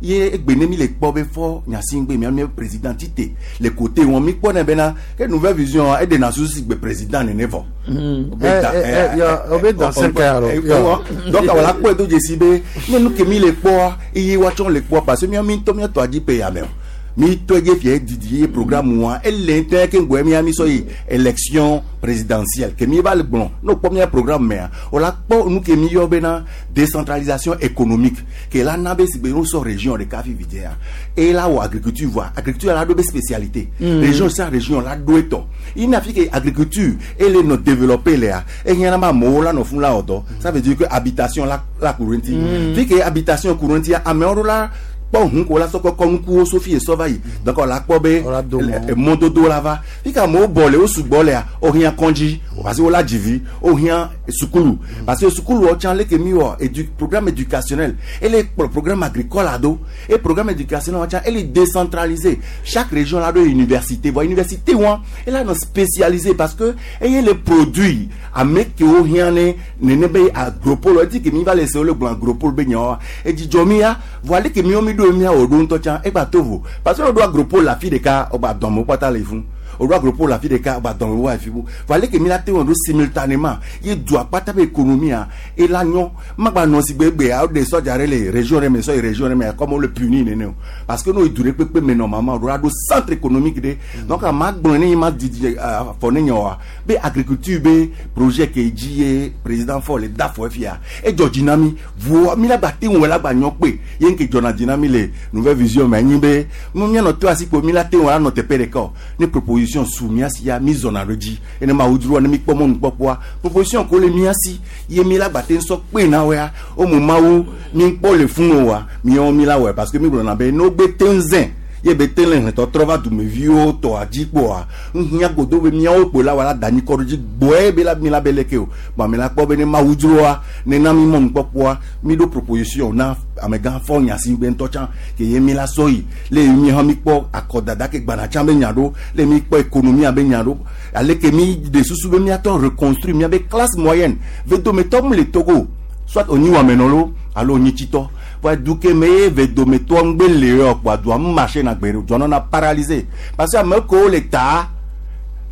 ye egbe ne mi le kpɔ be fɔ nyasigbe mia mia président ti te le côté wɔn mi kpɔ ne bena ke nouvelle vision e de na susu si gbe président nene vɔ. O be dan cinq ans alors. Donc wala kpɔe do dzesi be ne nu ke mi le kpɔa eye woatsɔ le kpɔa parce que mia mi ŋutɔ miatɔ adzi pe ya me o mi tɔ dze fie didi ye programme wa ele ŋutɔ ke ŋgɔe mia mi sɔ yi élection présidentielle ke mi va le gblɔ n'o kpɔ mia programme mea o la kpɔ nu ke mi yɔ bena décentralisation économique ke la na be sigbe n'o sɔ région ɖeka fi vi dzea eye la wɔ agriculture voa agriculture la ɖo be spécialité mm. région sia région la ɖo etɔ ina fi ke agriculture ele nɔ développer lea ehiã na ma amewo la nɔ fún la wɔ dɔ ça veut dire que habitation la la ku ɖe ŋuti fi ke habitation ku ɖe ŋutia amewo ɖo la kpɔ ʋu ko la sɔ kɔkɔ nukuwo so fi sɔ va yi donc la kpɔ be mɔdodo la va fi ka amewo bɔ le wo sugbɔ lea wo hiã kɔndzi parce que wo la dzivi wo hiã sukulu parce que sukulu wo tsã leke mi wɔ édu programme éducationnel ele kplɔ programme agricole ado et programme éducationnel wo tsã ele décentralisé chaque région la ɖo université vɔ université wa ele anɔ spécialisé parce que eye le produit ame kewo hiã ne nene be agropole eti ke mi va le se wole gblɔ agropole be nyawoa edzidzɔ mi ya vɔ aleke miwo mi ɖo mia wò ɖo ŋutɔ tsã egba to vo parce que woɖo agropole le afi ɖeka wogba dɔme kpata le fún oɖo agropole le afi ɖeka wogba dɔme wo afi bu vɔ aleke mi la te wɔ ɖo simultanément ye dua kpata be économie ela nyɔ magba nɔ si gbegbe woɖe sɔdza ɖe le région ɖe me sɔ yi région ɖe me comme wole puni nene o parce que n'o yi du ɖe kpekpe me normalement oɖo aɖo centre économique ɖe donc ama gblɔ ne yi ma didi afɔ ne nye oa be agriculture be projet ke dzi ye président fɔ le da fɔ fia edzɔ dzi na mi voa mi la gba te ŋu la gba nyɔ kpe ye ŋke dzɔna dzi na mi le nouvelle vision me anyi be nu mianɔ to asi kpo mi la te ŋu la nɔ teƒe ɖeka o ne proposition su mia si ya mi zɔna ɖo dzi ene ma wodroa ne mi kpɔ mɔnukpɔkpɔa proposition ko le mia si ye mi la gba te ŋsɔ kpe na woa wo mu mawu mi kpɔ le fún o wa miawo mi la wɔe parce que mi gblɔna be ne wogbe te ŋzẽ ye be te le hlẽtɔtrɔ va dumeviwo tɔa dzi kpoa ŋhiã godo be miawo kpo la wa la da anyikɔ ɖo dzi gbɔe be la mi la be leke o bon mi la kpɔ be ne mawu dzroa ne na mi mɔnukpɔkpɔa mi ɖo proposition na amegã fɔ nyasi gbe ŋutɔ tsã ke ye mi la sɔ yi le mi hã mi kpɔ akɔdada ke gbana tsã be nya ɖo le mi kpɔ économie be nya ɖo ale ke mi de susu be miatɔ reconstruire miabe classe moyenne vedometɔ mu le Togo soit onyi wɔmenɔ alo onyi tsitɔ voa du ke me ye vedometɔ ŋgbe le yɔ kpoa dua mu marché na gbe dua nɔna paralysé parce que ame kewo le ta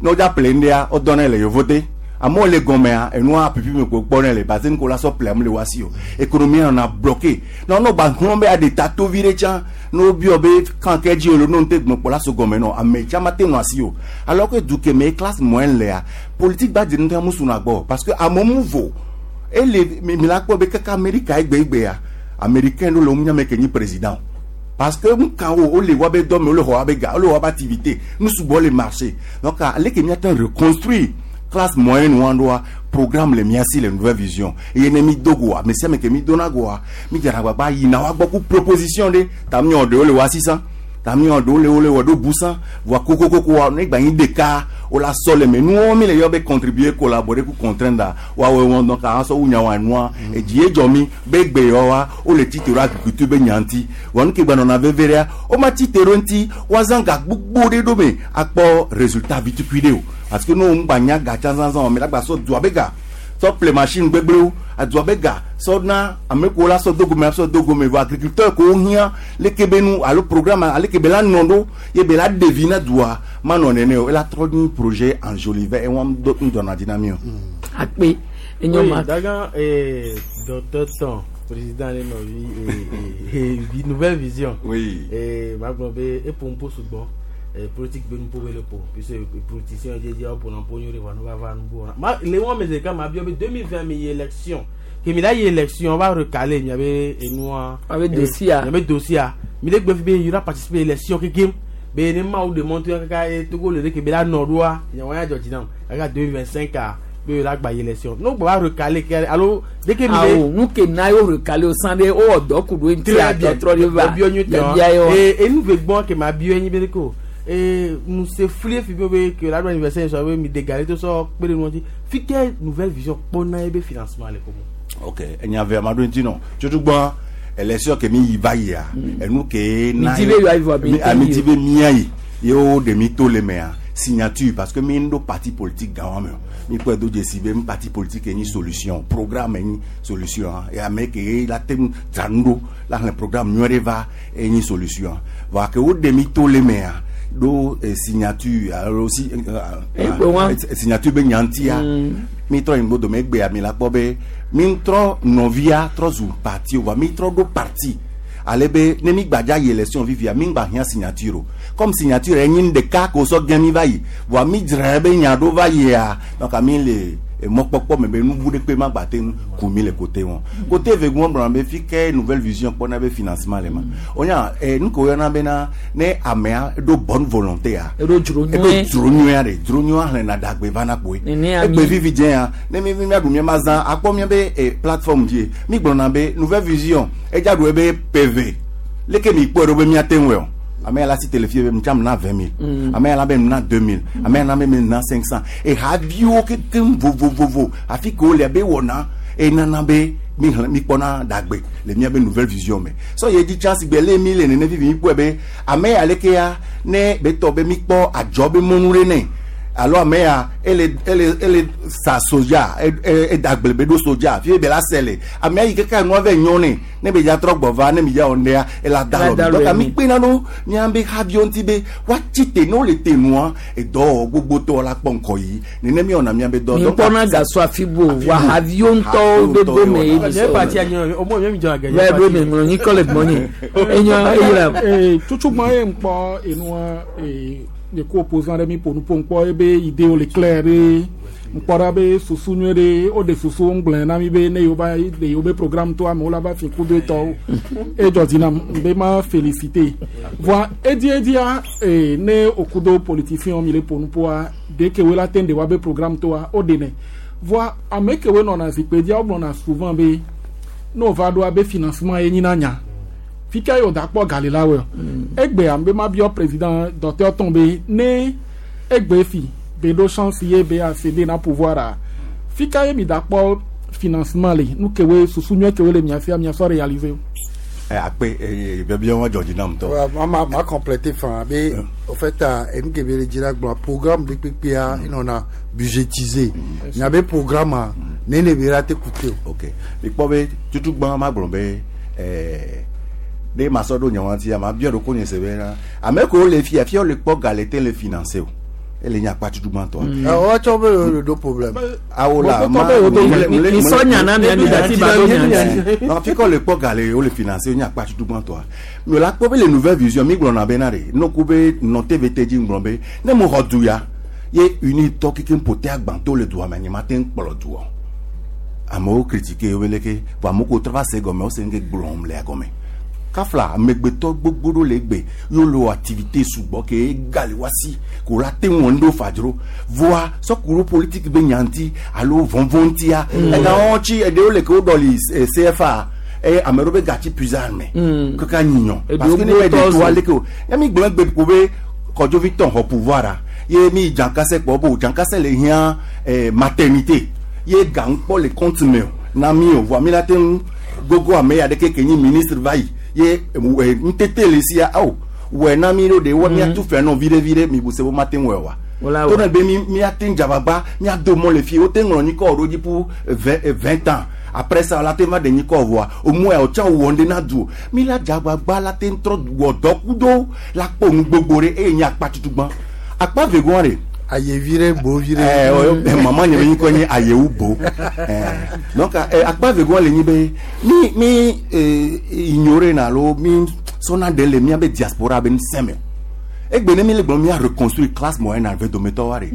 ne wodza ƒle ŋɖea wodɔnɛ le yevote amewo le gɔmea enua pipi me ko kpɔnɛ le parce que nuko la sɔ ƒle ame le wa si o économie nɔna bloqué na wonɔ gba hlɔ̃ be aɖe ta tovi ɖe tsã ne wobiɔ be kan ke dzi o le no ŋute gbɔn kpɔ la so gɔme nɔ ame tsã ma te nɔ asi o alors que du ke me ye classe moyenne lea politique ba dzi ŋutɔ mu suna gbɔ parce que amewo mu vo ele mi mi la kpɔ be kaka Amerika egbegbea américain ɖo le wo nyame ke nyi président parce que nukawo wole wa be dɔ me wole xɔ wa be ga wole wɔ wa be activité nu sugbɔ le marché donc ale ke míate reconstruire classe moyenne wa ɖoa programme le mía si le nouvelle vision eye ne mi do goa ame sia ame ke mi dona goa mi dzana agbagba yina wa gbɔ ku proposition ɖe ta miɔ ɖewo le wa sisan ta miɔ ɖewo le wole wɔ ɖo busan voa kokokokoa ne gba nyi ɖeka wola sɔ le me nuwo mi le yɔ be contribuer collaborer ku contraindre woawoe wɔn donc ahã sɔ wu nya wa nua edzi ye dzɔ mi be gbe yɔ wa wole tite ɖo agriculture be nya ŋuti vɔ nu ke gba nɔna veve ɖea woma tite ɖo ŋuti woazã ga gbogbo ɖe ɖo me akpɔ résultat vitukui ɖe o parce que ne wo ŋgba nya ga tsã zãzã o me la gba sɔ dua be ga sɔ ƒle machine gbegblẽwo adua be ga sɔ na ame kewo la sɔ dogome sɔ dogome vɔ agriculteur kewo hiã leke be nu alo programme aleke be la nɔ ɖo ye be la ɖe vi na dua manɔ nene o ela trɔ nyi projet enjolivet ewa ŋdɔna dzi na mi o. akpe enyo ma. Oui, dagan eh, docteur Ton, président de nɔvi eh, eh, eh, nouvelle vision. Oui. Eh, ma gblɔ be eƒo ŋpo sugbɔ eh, politique be nuƒo be le ƒo puisque politicien dzedze woƒo na ƒo nyuie ɖe vɔ ne va va nubo wɔna. Ma le wɔn me ɖeka ma biɔ be deux mille vingt mi yi élection ke mi la yi élection va recaler miabe enua. Miabe dossier a. Miabe dossier a mi le gbe fi be yura participer élection kekem be ne mawu de mɔto kaka e Togo le ɖe ke be la nɔ ɖoa nyawo ya dzɔ dzi nam kaka deux mille vingt cinq a be la gba yi élection n'o gba va recaler ke alo dès que mi le. awo nu ke na yo recaler o san de o wɔ dɔ ku ɖo ŋuti Très bien. atɔtrɔ de va Biɔ nyuitɔ. biabia ye wa. Ee enu ve gbɔn ke ma biɔ enyi be de ko ee nu se flie fi be be ke la do anniversaire sɔ be mi de gale to sɔ kpe ɖe nu ŋuti fi ke nouvelle vision kpɔna ye be financement le ko mo. ok enya ve ama ɖo ŋuti nɔ tutugbɔn élection ke mi yi va yia enu ke Mi di be yɔ ayi vɔ, mi mi te ami yi di o. be mia yi ye wo ɖe mi to le mea signature parce que mi ŋɖo parti politique gã wa me o mi kpɔe do dzesi be mi parti politique nyi solution programme nyi solution ye ame ke la te ŋu dzra nu ɖo la xlẽ programme nyuie ɖe va enyi solution voa ke wo ɖe mi to le mea ɖo eh, signature alo si eh, Egbe wa. eh, signature be nya ŋutia mi trɔ yi ŋgbo egbea mi la kpɔ be mi trɔ nɔvia trɔ zu parti o voa mi trɔ ɖo parti ale be ne mi gbadza yi élection vivia mi ŋgba hiã signature o comme signature enyi nu ɖeka ko sɔ gẽ mi va yi voa mi dzra be nya ɖo va yia donc mi le mɔkpɔkpɔ me be nubu ɖe kpe ma gba te ŋu ku mi le côté wɔn côté vegun gblɔna be fi ke nouvelle vision kpɔna be financement le ma wonya eh, nu ke woyɔna bena ne amea ɖo bonne volonté a Eɖo dzro eɖo nyuie. dzro nyuia ɖe dzro nyuia xlẽna ɖagbe vana kpoe Nene ami. egbe vivi dze ya ne mi mi miaɖu mia ma zã akpɔ mia be eh, plateforme dzi mi gblɔna be nouvelle vision edza ɖu ebe PV leke mi kpɔe ɖo be miate ŋue o Ame ya la si te le fie be mtsam na vingt mille. Mm. Ame ya la be na deux mille. Ame ya la be na cinq cents. Ehaviwo kekem vovovovo afi ke wole be wɔna enana be mi xlẽ mi kpɔna dagbe le miabe nouvelle vision me. Sɔ ye dzi tsã si gbe le mi le nene vivi mi kpɔe be ame ya leke ya ne be tɔ be mi kpɔ adzɔ be mɔnu ɖe nɛ alo ame ya ele ele ele sa soja e e edagble be ɖo soja fi be la se le ame ya yi keke nua vɛ nyɔ nɛ ne be dza trɔ gbɔ va ne mi dza wɔ nea ela da Ela da lɔ mi lɔ donc mi. mi kpena ɖo miabe haviwo ŋuti be woatsi te ne wole te nua edɔwɔwɔ gbogbotɔ la kpɔ ŋkɔ yi nene mi wɔna miabe dɔ mi Donc, kpɔna gasɔ afi bo wa haviwo ŋutɔwo be gome ye mi Nye sɔ parti anyo o mo mi jɔ agɛ. Vɛ ɖo mi ŋlɔ nyikɔ le gbɔnye enyɔ eyira Eh, tutugbɔn ye ŋkpɔ enua eh, ye ko opposant ɖe mi ƒo nu ƒo ŋkpɔ ebe idewo le clair ɖe ŋkpɔ ɖa be susu nyuie ɖe wo ɖe susu ŋgblẽ na mi be ne yewo va ɖe yewo be programme to amewo la va fi ku do etɔwo edzɔ dzi nam be ma félicité voa edi edia eh, ne oku do politicien mi le ƒo nu ƒoa de ke wo la te ɖe wa be programme toa wo ɖenɛ voa ame kewoe nɔna zikpui dzia wo gblɔna souvent be ne wova ɖoa be financement ye nyina nya fika ye wòda kpɔ gali la wɔ egbea be ma biɔ président docteur tɔn be ne egbe fi be ɖo chance ye be accéder na pouvoir a fika ye mi da kpɔ financement le nu kewoe susu nyuie kewoe le mia fia miasɔ réaliser o. Eh, akpe eh, biabia wa dzɔ dzi nam ŋutɔ. Ouais, ma ma ma complété fan be au fait enu ke be le dzi la gblɔ programme de kpekpea enɔna budgétisé miabe programme a nene be la te coûter o. Ok, mikpɔ be tutugbã ma gblɔ be ɛɛ ne ma sɔ ɖo nye ŋutia ma biɔ ɖo ko nye se be na ame kewo le fia fia wole kpɔ ga le te le financer o ele nye akpa tutugbãtɔa. Woatsɔ be le ɖo problème. Awo la ma Mi sɔ nya na mia mi dati ba ɖo nya ŋuti. Non, fi kɔ le kpɔ ga le wole financer nye akpa tutugbãtɔa mi la kpɔ be le nouvelle vision mi gblɔna be na de noku be nɔ T V T dzi ŋgblɔ be ne mo xɔ du ya ye unitɔ kekem ƒo te agbãtɔ le dua me nye ma te ŋu kplɔ duɔ amewo critiquer wo leke vɔ amewo ko trɔ va se gɔme wo se ŋke gblɔm le agɔme kafla amegbetɔ gbogbo ɖo le egbe yewo le wɔ activité sugbɔ ke ega le wasi ko la te ŋu ɖo fadzro voa sɔkuɖo politique be nya ŋuti alo vɔvɔ ŋutia Mm. ega wɔn tsi eɖewo le ke wo ɖɔli eh, C F A eye ame ɖewo be gatsi puisard me Mm. kaka nyinyɔ Eɖewo parce que ne be gbotɔ ɖe toa zɔ. leke o ya mi gblɔ egbe ko be kɔdzovi tɔn xɔ pouvoir a ye mi dzankase kpɔ bo dzankase le hiã eh, maternité ye ga ŋkpɔ le compte me o na mi o voa mi la te ŋu gogo ame ya ɖeke ke nyi ministre va yi ye eh, ŋutete le sia awo wɔ na mi ɖo ɖe wɔ miatu fɛ nɔ viɖe viɖe mi bu se bo ma te ŋu wɔ wa Wala to wɔ. ne be mi miate ŋu dzabagba miado mɔ le fie wote ŋlɔ nyikɔ ɖo dzi pour vingt eh, vingt ans après ça la te va ɖe nyikɔ vɔa omu ya wòtsã wɔ ŋɖe na du o mi la dzagbagba la te ŋtrɔ wɔ dɔ kudo la kpɔ nu gbogbo ɖe eye nye akpa tutugbã akpa vegoa ɖe Ayevi ɖe bovi ɖe. Eh, o- eh, mama nye be nyikɔ nye ayewu bo Eh, donc eh, akpa vegoa le nyi be mi mi eh, ignoré na alo mi sɔna ɖe le miabe diaspora be ŋusẽ me egbe ne mi le gblɔm mia reconstruire classe moyenne ave dometɔ wa ɖe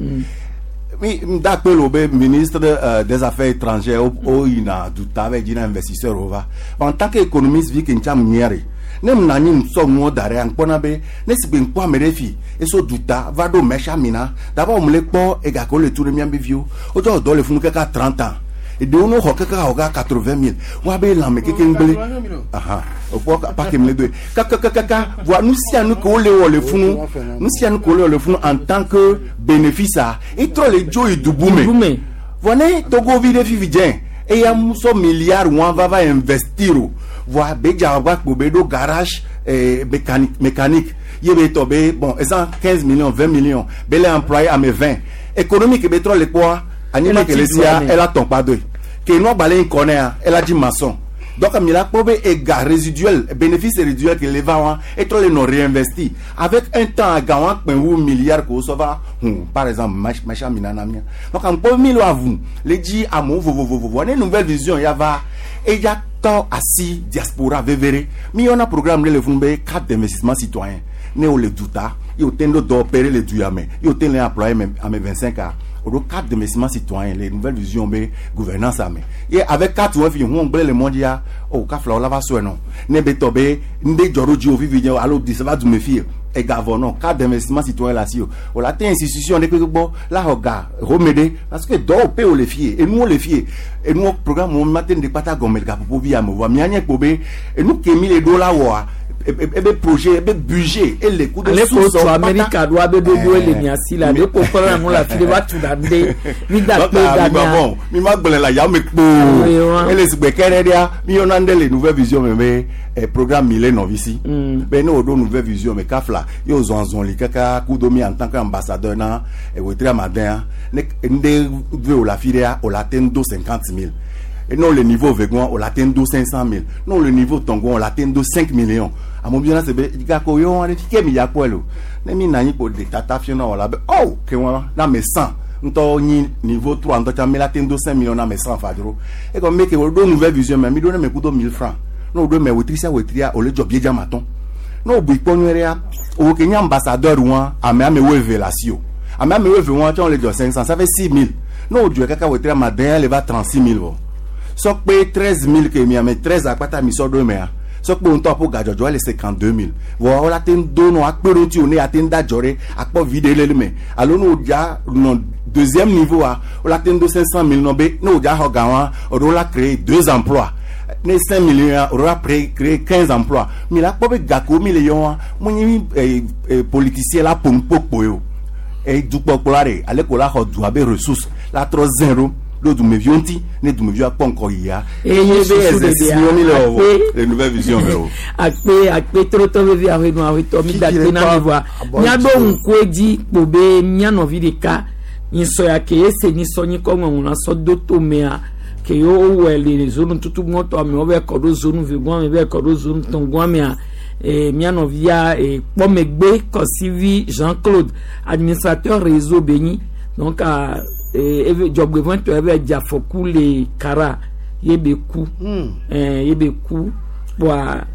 mi da akpe le wo be ministre euh, des affaires étrangères wo wo yina duta va dzi na investisseur wo va en tant que économiste vi ke ŋtsa nyia ɖe ne mu na anyi ŋsɔ nuwo da ɖe ŋkpɔna be ne si gbe ŋkpɔ ame ɖe fi eso duta va ɖo mɛsia mina d'abord mu le kpɔ ega ke wo le tu ɖe miabe viwo wotsɔ dɔ le funu kaka trente ans eɖewo no xɔ kaka xɔ ka quatre vingt mille woabe lãme keke ŋgble ahan okpɔ pake mi le doe kakakakaka voa nu sia nu ke wole wɔ le funu nu sia nu ke wole wɔ le funu en tant que bénéfice a etrɔ le dzo yi dubu me voa ne togovi ɖe fifi dze eya musɔ milliard wɔn va va investir o voa be dza gba kpo be ɖo garage eh, mécanique mécanique ye be tɔ be bon ezan quinze millions vingt millions be le employé ame vingt économique be trɔ le kpɔa anyigba Ela ke le ti sia dua me. ela tɔn kpa doe ke nua gbalẽ ŋkɔ nea ela dzi maçon donc mi la kpɔ be ega résiduel bénéfice résiduel ke le va wa etrɔ le nɔ réinvesti avec un temps aga wa kpɛ wu milliard ko sɔ va hun par exemple mɛsia mina na mia donc ŋkpɔ mi lo avu le dzi amewo vovovovo ne nouvelle vision ya va eya tɔ asi diaspora vevere mi yɔna programme ɖe le funu be carte d'investissement citoyen ne wo le duta ye o te ɖo dɔ opérer le du ya me ye o te le employé ame ame vingt cinq a o ɖo carte d'investissement citoyen les nouvelles visions be gouvernance ame ye avec carte wɔn fi hu gblẽ le mɔ dzia o kafla wo la va sɔe nɔ ne be tɔ be ŋɖe dzɔ ɖo dzi o vivi dze alo dise va du me fi ega vɔ nɔ carte d'investissement citoyen le asi o o la te institution ɖe kpekpe gbɔ la xɔ ga home ɖe parce que dɔwɔƒe wo le fie enuwo le fie enuwo programme wo ma te ŋɖe kpata gɔme le gaƒoƒo vi ame voa mia nye kpo be enu ke mi le ɖo la wɔa ebe projet ebe budget ele ku de ale ko to amerika do abe dodo ele miasi la de ko kɔrɔ na la fi de va tu da nde mi da kpe da mia bon mi ma gblẽ la yame kpo ele sigbe kɛrɛ dia mi yɔna nde le nouvelle vision me be eh, programme mi le nɔvi si be ne o do nouvelle vision me kafla ye o zɔn zɔn li kaka kudo mi en tant qu'ambassadeur na wetri amadin ne nde ve o la fi dia o la ten do cinquante mille. Et non le niveau vegan, on l'atteint cinq cent mille. Non le niveau tongon, on l'atteint cinq millions. À mon bien, c'est bien, on a dit qu'il y a quoi là. Ne mi nani pour des tata fiona on la oh que moi na mes cent. Nto ni niveau trois nto cha mi l'atteint cinq millions na mes cent fadro. Et comme mais que do nouvelle vision mais mi donne mes coups mille francs. Non do mais wetri wetria au le job bien maton. Non bu ponyere o ke nya ambassadeur ouan a me ame révélation. A me ame révélation on le job cinq cents, ça fait six mille. Non du kaka wetria ma den elle va trente-six mille. Sokpe treize mille que mi ame treize akpata mi so do me a sokpe on to po gajojo le cinquante-deux mille vo la ten do no akpero ti oni aten da jore akpo vide le me alo no ja no deuxième niveau a o la ten do cinq cent mille no be no ja ho gawan o la créer deux emplois ne cinq millions o la créer quinze emplois mi la po be gako mi le yon mo ni politicien la pompo po yo e du po la re ale ko la ho du abe ressources la trois zéro le dumevionti ne dumevio akpɔ ya eye be le nouvelle vision me o akpe akpe trotɔ vevi ahenu ahetɔ mi da kpe na mi voa miaɖo ŋku edzi kpo be mia nɔvi ɖeka nyisɔ ya ke ese nyisɔ nyikɔ ŋɔŋlɔ sɔ do tomea ke wowɔe le zonu tutu gbɔtɔ ame wo be kɔ ɖo zonu ve gbɔn ame be kɔ ɖo zonu tɔn gbɔn amea mia nɔvia kpɔmegbe Kɔsivi Jean Claude administrateur réseau Béni donc eve dzɔgbevɔntɔ eve dzafɔku le kara ye be ku ye be ku kpoa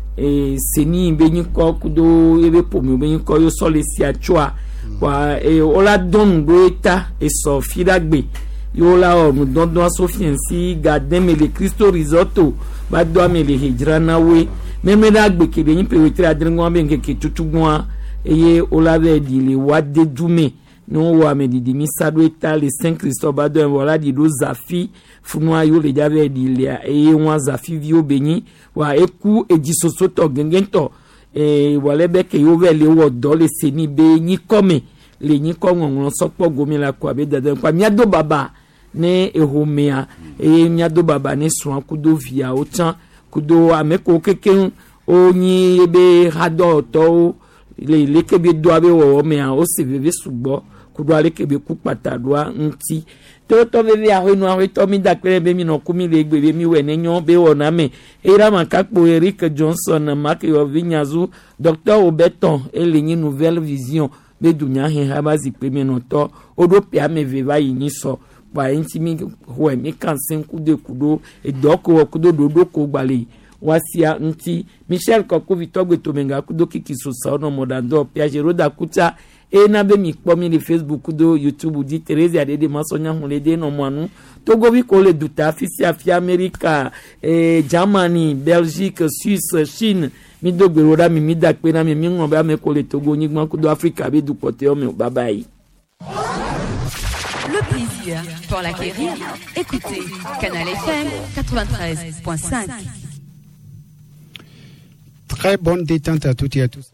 seni be nyikɔ kudo ye be ƒome be nyikɔ ye sɔ le sia tsoa kpoa wola dɔn nu ɖo eta esɔ fi ɖa gbe ye wola wɔ nudɔdɔn so fiɛnsi gademe le Cristo Risotto va do ame le hedzrana woe meme ɖa gbe ke ɖe nyi ƒe adre be ŋkeke tutugbɔa eye wola be ɖi le wa de dume. Nous avons dit misa do eta le Saint Christophe ba do voilà di do zafi funua yo le jave di le e won zafi vi o benyi wa eku eji soso to gengento e wale be ke yo ve le wo do le seni be nyi kome le nyi ko ngongon sopo gomi la kwa be dadan kwa mi ado baba ne ehomea e mi ado baba ne sun kudo via o tan kudo ameko keken o nyi be hado to le le ke be do abe wo me a o se veve sugbo kudo ale ke be ku pata doa ŋuti tɔtɔ veve ahɔenu ahɔetɔ mi da kpe be mi nɔ ku mi le egbe be mi wɔ ne nyɔ be wɔ na me eyira ma kakpo Eric Johnson Mark Yovi Nyazu Docteur Obeton ele nyi Nouvelle Vision be dunya he ha ba zikpe mi nɔtɔ woɖo ƒe ame eve va yi nyi sɔ kpa eŋuti mi xɔe mi kan se ku de ku ɖo edɔ ko wɔ kudo ɖoɖo ko gbalẽ wasia ŋuti Michel Kɔkuvi tɔgbe tomenga kudo kiki sosa wonɔ mɔɖaŋdɔ Piagero da kutsa ena be mi kpɔ mi le Facebook kudo YouTube di Therese Adede Masɔnya hun le de nɔ mɔanu Togovi ko le duta afi sia afi Amerika eh, Germany, Belgique, Suisse, Chine mi do gbe ɖo ɖa mi mi da kpe na mi mi ŋlɔ be ame ko le Togo nyigba kudo Afrika be dukpɔtɔewo me o bye bye. Le plaisir pour l'acquérir, écoutez Canal F M quatre-vingt-treize point cinq. Très bonne détente à toutes et à tous.